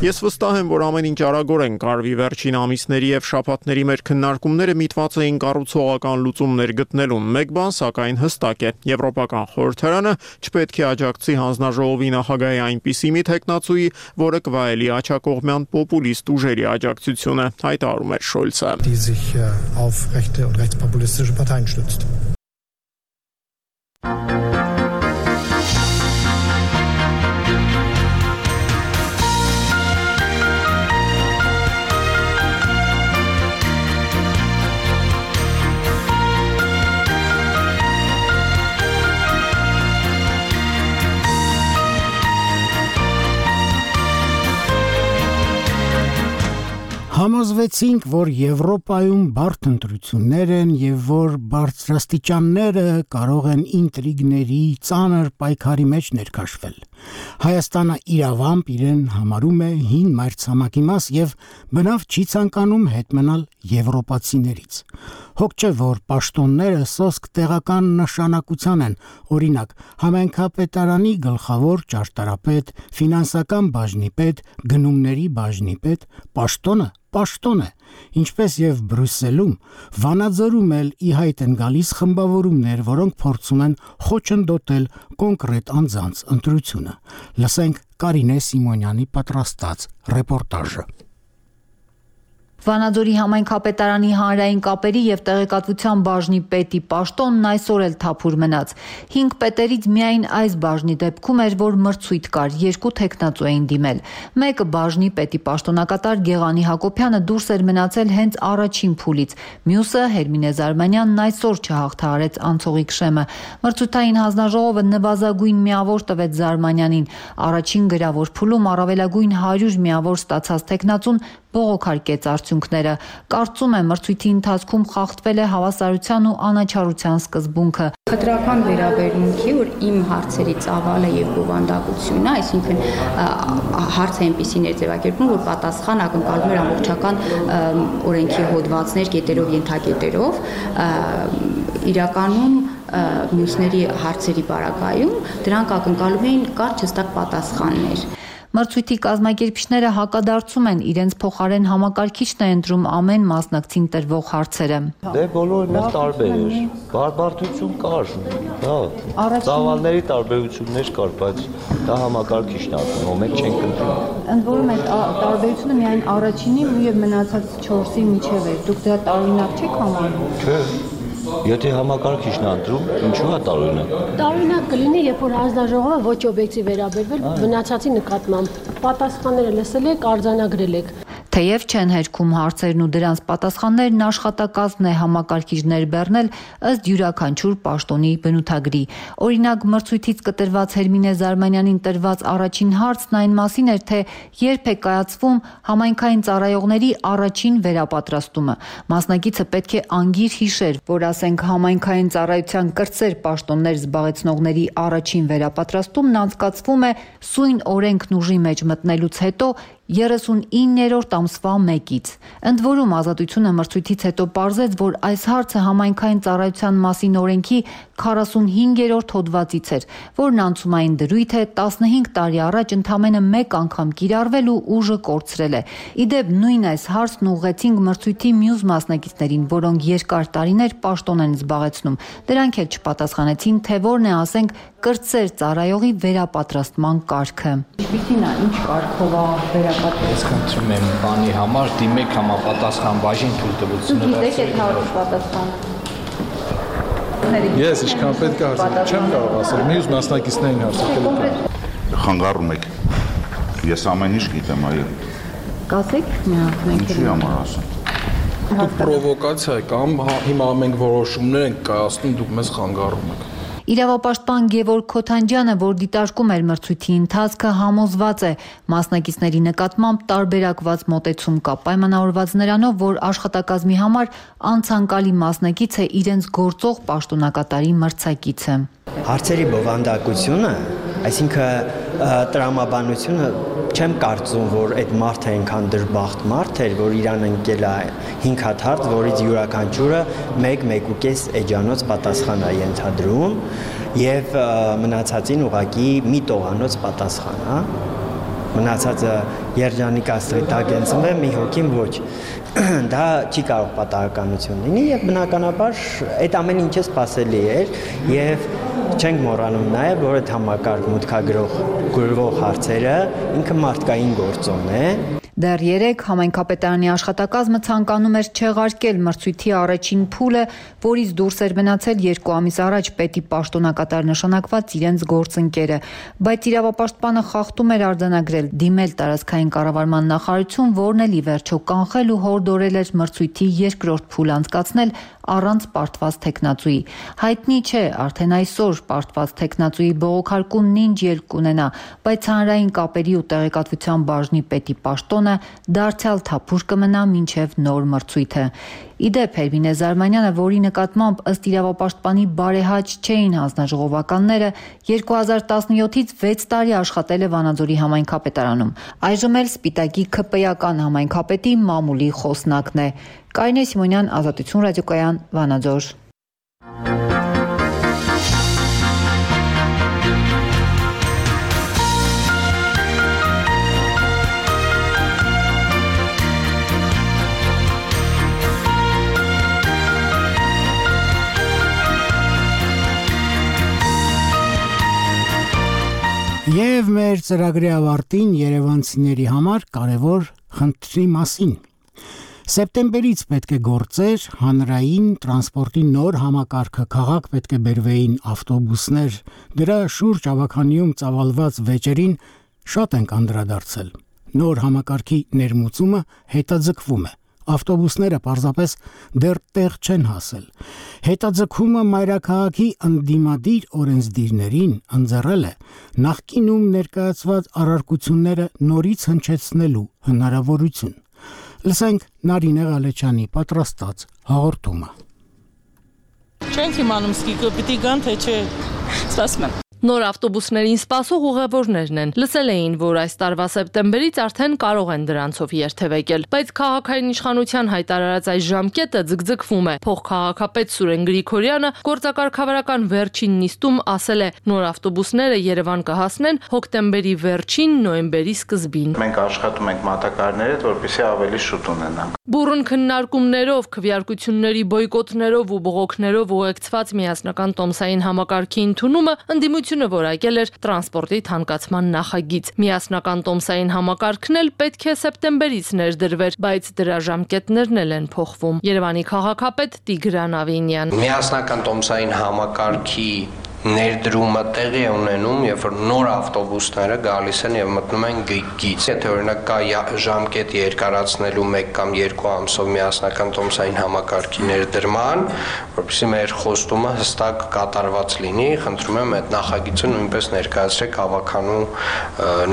Ես վստահ եմ, որ ամեն ինչ արագորեն կարվի։ Վերջին ամիսների եւ շաբաթների մեր քննարկումները միտված էին կառուցողական լուծումներ գտնելուն։ Մեկ բան սակայն հստակ է. Եվրոպական խորհրդարանը չպետք է աջակցի հանձնաժողովի նախագահի այնպիսի մի տեխնացուի, որը կվայելի աջակողմյան պոպուլիստ ուժերի աջակցությունը, հայտարարում էր Շոլցը։ Համոզվեցինք, որ Եվրոպայում բարդ ընտրություններ են եւ որ բարձրաստիճանները կարող են ինտրիգների, ծանր պայքարի մեջ ներքաշվել։ Հայաստանը իրավամբ իրեն համարում է հին մայրցամաքի մաս եւ բնավ չի ցանկանում հետ մնալ եվրոպացիներից։ Հոգ չէ, որ պաշտոնները սոսկ տեղական նշանակության են, օրինակ, համայնքապետարանի գլխավոր ճարտարապետ, ֆինանսական բաժնի պետ, գնումների բաժնի պետ, պաշտոն է, ինչպես եւ Բրյուսելում, Վանաձորում էլ ի հայտ են գալիս խմբավորումներ, որոնք փորձում են խոչընդոտել կոնկրետ անձանց ընտրությունը։ Լսենք Կարինե Սիմոնյանի պատրաստած ռեպորտաժը։ Վանաձորի համայնքապետարանի հանրային կապերի եւ տեղեկատվության բաժնի պետի պաշտոնն այսօր էլ թափուր մնաց։ 5 պետերից միայն այս բաժնի դեպքում էր, որ մրցույթ կար, 2 թեկնածու էին դիմել։ Մեկը բաժնի պետի պաշտոնակատար Գեղանի Հակոբյանը դուրս էր մնացել հենց առաջին փուլից։ Մյուսը Հերմինե Զարմանյանն այսօր չհաղթահարեց անցողիկ շեմը։ Մրցութային հանձնաժողովը նվազագույն միավոր տվեց Զարմանյանին։ Առաջին գրավոր փուլում առավելագույն 100 միավոր ստացած թեկնածուն բողոքարկեց արդյունքները։ Կարծում եմ մրցույթի ընթացքում խախտվել է հավասարության ու անաչառության սկզբունքը։ Խտրական վերաբերմունքի, որ իմ հարցերի ծավալը եւ բովանդակությունը, այսինքն հարցը այնպեսին էր ձևակերպվում, որ պատասխան ակնկալում էր ամբողջական օրենքի հոդվածներ կետերով, ենթակետերով, իրականում մյուսների հարցերի բարակայում դրանք ակնկալում էին կարճ հստակ պատասխաններ։ Մրցույթի կազմակերպիչները հակադարձում են իրենց փոխարեն համակարգիչն է ընտրում ամեն մասնակցին տրվող հարցերը։ Դե բոլորն էլ տարբեր էր։ Բարդություն կար, հա։ Ծավալների տարբերություններ կար, բայց դա համակարգիչն է անում, ո՞ւմ եք չենք ընտրում։ Ընդ որում այդ տարբերությունը միայն առաջինի եւ մնացած 4-ի միջև էր։ Դուք դա տարօրինակ չեք համարում։ Չէ։ Եթե համակարգիչն ընտրում, ինչու է տարօրինակ։ Տարօրինակ կլինի, երբ որ հանձնաժողովը ոչ օբյեկտիվ վերաբերվել մնացածի նկատմամբ։ Պատասխանները լսել եք, արձանագրել եք։ Թեև չեն հերքում հարցերն ու դրանց պատասխաններն աշխատակազմն է համակարգիչներ բեռնել ըստ յուրաքանչյուր պաշտոնի բնութագրի։ Օրինակ մրցույթից կտրված Հերմինե Զարմանյանին տրված առաջին հարցն այն մասին էր, թե երբ է կայացվում համայնքային ծառայողների առաջին վերապատրաստումը։ Մասնակիցը պետք է անգիր հիշեր, որ ասենք համայնքային ծառայության կրտսեր պաշտոններ զբաղեցնողների առաջին վերապատրաստումն անցկացվում է սույն օրենքն ուժի մեջ մտնելուց հետո 39-րդ ամսվա 1-ից։ Ընդ որում Ազատությունը մրցույթից հետո պարզեց, որ այս հարցը համայնքային ծառայության մասին օրենքի 45-րդ հոդվածից էր, որն անցումային դրույթ է 15 տարի առաջ ընդամենը 1 անգամ կիրառվել ու ուժը կորցրել է։ Իդեպ նույն այս հարցն ուղղեցինք մրցույթի մյուս մասնակիցներին, որոնք երկար տարիներ պաշտոն են զբաղեցնում։ Դրանք էլ չպատասխանեցին, թե որն է, ասենք, կրտսեր ծառայողի վերապատրաստման կարգը։ Ինչպիսին է, ինչ կարգով է վերապատրաստում։ Խնդրում եմ բանի համար դիմեք համապատասխան բաժին թույլտվությունը։ Դուք գիտեք այդ հարցի պատասխանը։ Ես ինչքան պետք է հարցնել, չեմ կարող ասել, մյուս մասնակիցներին հարցնել։ Խանգարում եք։ Ես ամեն ինչ գիտեմ, այո։ Կասեք, մենք ինչի համար ասեմ։ Դուք պրովոկացիա եք, հիմա մենք որոշումներ ենք կայացնում, դուք մեզ խանգարում եք։ Իրավապաշտպան Գևորգ Քոթանջյանը, որ դիտարկում էր մրցույթի ընթացքը, համոզված է մասնակիցների նկատմամբ տարբերակված մոտեցում կա, պայմանավորված նրանով, որ աշխատակազմի համար անցանկալի մասնակից է իրենց գործող պաշտոնակատարի մրցակիցը։ Հարցերի բովանդակությունը, այսինքն տրամաբանությունը, չեմ կարծում, որ այդ մարդը այնքան դրբախտ մարդ էր, որ իրան ընկել է 5 հատ հարց, որից յուրաքանչյուրը 1-1.5 էջանոց պատասխան է ենթադրում եւ մնացածին ուղղակի մի տողանոց պատասխան, հա։ Մնացածը երջանիկ աստղի տակ ընծնվե, մի հոգին ոչ։ Դա չի կարող պատահականություն լինի եւ բնականաբար այդ ամեն ինչը սпасելի էր եւ չենք մոռանում նաեւ, որ այդ համակարգ մուտքագրող հարցերը ինքը մարդկային գործոն է։ Դեռ 3 համայնքապետարանի աշխատակազմը ցանկանում էր չեղարկել մրցույթի առաջին փուլը, որից դուրս էր մնացել 2 ամիս առաջ պետի պաշտոնակատար նշանակված իրենց գործընկերը, բայց իրավապաշտպանը խախտում էր արձանագրել, դիմել տարածքային կառավարման նախարարություն, որն էլ ի վերջո կանխել ու հորդորել էր մրցույթի երկրորդ փուլ անցկացնել առանց պարտված թեկնածուի։ Հայտնի չէ, արդեն այսօր պարտված թեկնածուի բողոքարկումն ինչ ելք կունենա, բայց հանրային կապերի ու տեղեկատվության բաժնի պետի պաշտոնը կառավարությունը դարձյալ թափուր կմնա մինչև նոր մրցույթը։ Իդեպ Հերմինե Զարմանյանը, որի նկատմամբ ըստ իրավապաշտպանի բարեհաճ չէին հանձնաժողովականները, 2017-ից 6 տարի աշխատել է Վանաձորի համայնքապետարանում։ Այժմ էլ Սպիտակի ՔՊ-ական համայնքապետի մամուլի խոսնակն է։ Կարինե Սիմոնյան, Ազատություն ռադիոկայան, Վանաձոր։ Եվ մեր ծրագրի ավարտին երևանցիների համար կարևոր խնդրի մասին։ Սեպտեմբերից պետք է գործեր հանրային տրանսպորտի նոր համակարգը, քաղաք պետք է բերվեին ավտոբուսներ, դրա շուրջ ավականիում ծավալված վեճերին շատ ենք անդրադարձել։ Նոր համակարգի ներմուծումը հետաձգվում է։ Ավտոբուսները պարզապես դեռ տեղ չեն հասել։ Հետաձգումը մայրաքաղաքի ընդդիմադիր օրենսդիրներին ընձեռել է նախկինում ներկայացված առարկությունները նորից հնչեցնելու հնարավորություն։ Լսենք Նարինե Ղալեչյանի պատրաստած հաղորդումը։ Չենք իմանում սկիզբը պիտի գան թե չէ։ Սպասում եմ։ Նոր ավտոբուսներին սպասող ուղևորներն են։ Լսել էին, որ այս տարվա սեպտեմբերից արդեն կարող են դրանցով երթևեկել, բայց քաղաքային իշխանության հայտարարած այս ժամկետը ձգձգվում է։ Փոխքաղաքապետ Սուրեն Գրիգորյանը գործակարգավարական վերջին նիստում ասել է, նոր ավտոբուսները Երևան կհասնեն հոկտեմբերի վերջին, նոյեմբերի սկզբին։ Մենք աշխատում ենք մատակարարների հետ, որպեսզի ավելի շուտ ունենանք։ Բուռն քննարկումներով, քվեարկությունների բոյկոտներով ու բողոքներով ուղեկցված միասնական տոմսային համակարգի ընդունումը ընդդիմությունը որակել էր տրանսպորտի թանկացման նախագիծ։ Միասնական տոմսային համակարգն էլ պետք է սեպտեմբերից ներդրվեր, բայց դրա ժամկետներն էլ են փոխվում։ Երևանի քաղաքապետ Տիգրան Ավինյան։ Միասնական տոմսային համակարգի ներդրումը տեղի է ունենում, երբ որ նոր ավտոբուսները գալիս են եւ մտնում են գիծ։ Եթե օրինակ կա ժամկետ երկարացնելու 1 կամ 2 ամսով միասնական տոմսային համակարգի ներդրման, որովհետեւ մեր խոստումը հստակ կատարված լինի, խնդրում եմ այդ նախագիծը նույնպես ներկայացրեք ավականու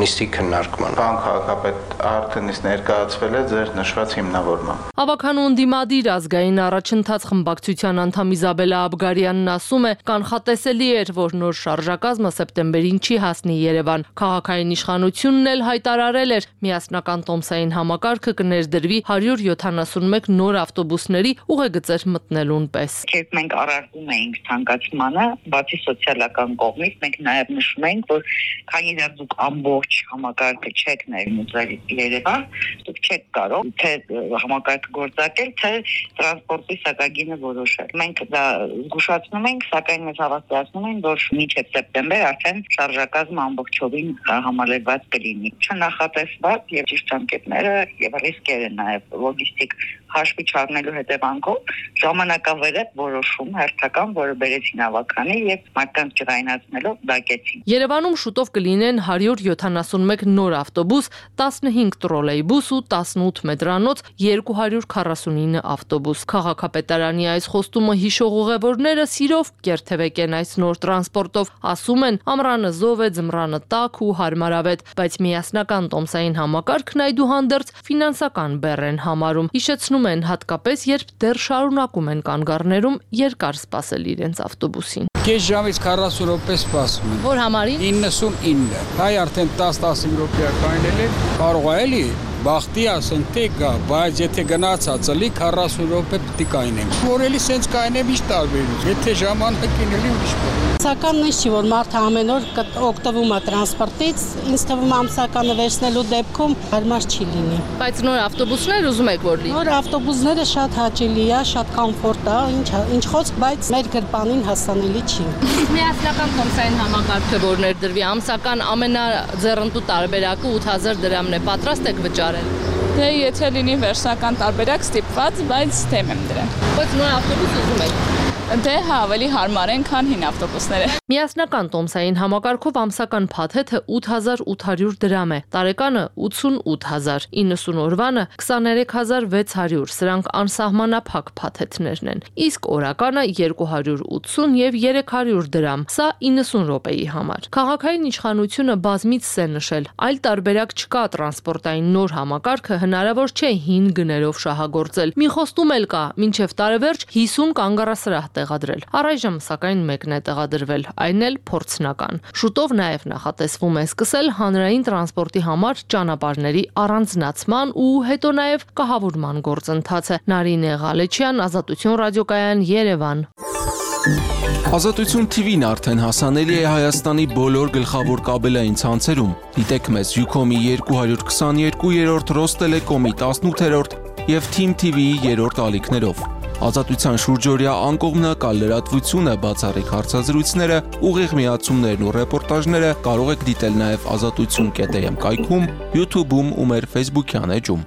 նիստի քննարկման։ Պարոն քաղաքապետ, արդեն իսկ ներկայացվել է ձեր նշված հիմնավորմամբ։ Ավականու ընդդիմադիր ազգային առաջընթաց խմբակցության անդամ Իզաբելա Աբգարյանն ասում է, կանխատեսելի էր, որ նոր շարժակազմը սեպտեմբերին չի հասնի Երևան։ Քաղաքային իշխանությունն էլ հայտարարել էր, միասնական տոմսային համակարգը կներդրվի 171 նոր ավտոբուսների ուղեգծեր մտնելուն պես։ Երբ մենք առարկում էինք ցանկացմանը, բացի սոցիալական կողմից, մենք նաև նշում էինք, որ քանի դեռ դուք ամբողջ համակարգը չեք ներմուծել Երևան, դուք չեք կարող թե համակարգը գործարկել, թե տրանսպորտի սակագինը որոշել։ Մենք դա զգուշացնում ենք, սակայն մեզ հավաստիացնում են, որ մինչև սեպտեմբեր արդեն շարժակազմը ամբողջովին համալրված կլինի։ Չնախատեսված եւ ճիշտ ժամկետները եւ ռիսկերը նաեւ լոգիստիկ հաշվի չառնելու հետևանքով ժամանակավերև որոշում հերթական, որը բերեցին ավականի եւ մարդկանց ջրայնացնելով դակեցին։ Երևանում շուտով կլինեն 171 նոր ավտոբուս, 15 տրոլեյբուս ու 18 մետրանոց, 249 ավտոբուս։ Քաղաքապետարանի այս խոստումը հիշող ուղևորները սիրով կերթևեկեն այս նոր տրանսպորտով, ասում են, ամռանը զով է, ձմռանը տաք ու հարմարավետ, բայց միասնական տոմսային համակարգն այդուհանդերձ ֆինանսական բեռ են համարում։ Հիշեցնում են հատկապես, երբ դեռ շարունակում են կանգառներում երկար սպասել իրենց ավտոբուսին։ Կես ժամից 40 րոպե սպասում են։ Որ համարի 99։ Հայ արդեն 10-15 րոպե կանել է, կարող է էլի բախտի ասեն թե գա, բայց եթե գնացած էլի 40 րոպե պիտի կայնենք։ Որ էլի սենց կայնեմ ինչ տարբերություն։ Եթե ժամանակին էլի ուրիշ բան։ Սակայն նույնիսկ չի որ մարդը ամեն օր օգտվում է տրանսպորտից, ինձ թվում է ամսականը վերցնելու դեպքում հարմար չի լինի։ Բայց նոր ավտոբուսներ ուզում եք որ լինի։ Նոր ավտոբուսները շատ հաճելի է, շատ կոմֆորտ է, ինչ խոսք, բայց մեր գրպանին հասանելի չի։ Միասնական տոմսային համակարգը որ ներդրվի ամսական ամենաձեռնտու տարբերակը 8000 դրամն է, պատրաստ եք վճարել։ Դե եթե լինի վերջնական տարբերակ ստիպված, բայց թեմ եմ դրան։ Բայց նոր ավտոբուս ուզում եք։ Դե հա, ավելի հարմար են, քան հին ավտոբուսները։ Միասնական տոմսային համակարգով ամսական փաթեթը 8800 դրամ է, տարեկանը 88000, 90 օրվանը 23600, սրանք անսահմանափակ փաթեթներն են։ Իսկ օրականը 280 եւ 300 դրամ, սա 90 րոպեի համար։ Քաղաքային իշխանությունը բազմիցս է նշել, այլ տարբերակ չկա տրանսպորտային նոր համակարգը հնարավոր չէ հին գներով շահագործել։ Մի խոստում էլ կա, մինչև տարեվերջ 50 կանգառասրահ տեղադրել։ Առայժմ սակայն մեկն է տեղադրվել, այն էլ փորձնական։ Շուտով նաև նախատեսվում է սկսել հանրային տրանսպորտի համար ճանապարհների առանձնացման ու հետո նաև կահավորման գործընթացը։ Նարինե Ղալեչյան, Ազատություն ռադիոկայան, Երևան։ Ազատություն TV-ն արդեն հասանելի է Հայաստանի բոլոր գլխավոր կաբելային ցանցերում։ Դիտեք մեզ Ucom-ի 222-րդ, Ռոստելեկոմի 18-րդ եւ Team TV-ի 3-րդ ալիքներով։ Ազատության շուրջօրյա անկողմնակալ լրատվությունը, բացառիկ հարցազրույցները, ուղիղ միացումներն ու ռեպորտաժները կարող եք դիտել նաև azatutsun.am կայքում, YouTube-ում ու մեր Facebook-յան էջում։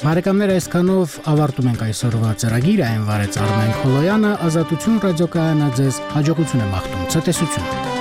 Բարեկամներ, այսքանով ավարտում ենք այսօրվա ծրագիրը, այն վարեց Արմեն Խոլոյանը, Ազատություն ռադիոկայանը ձեզ հաջողություն է մաղթում, ցտեսություն։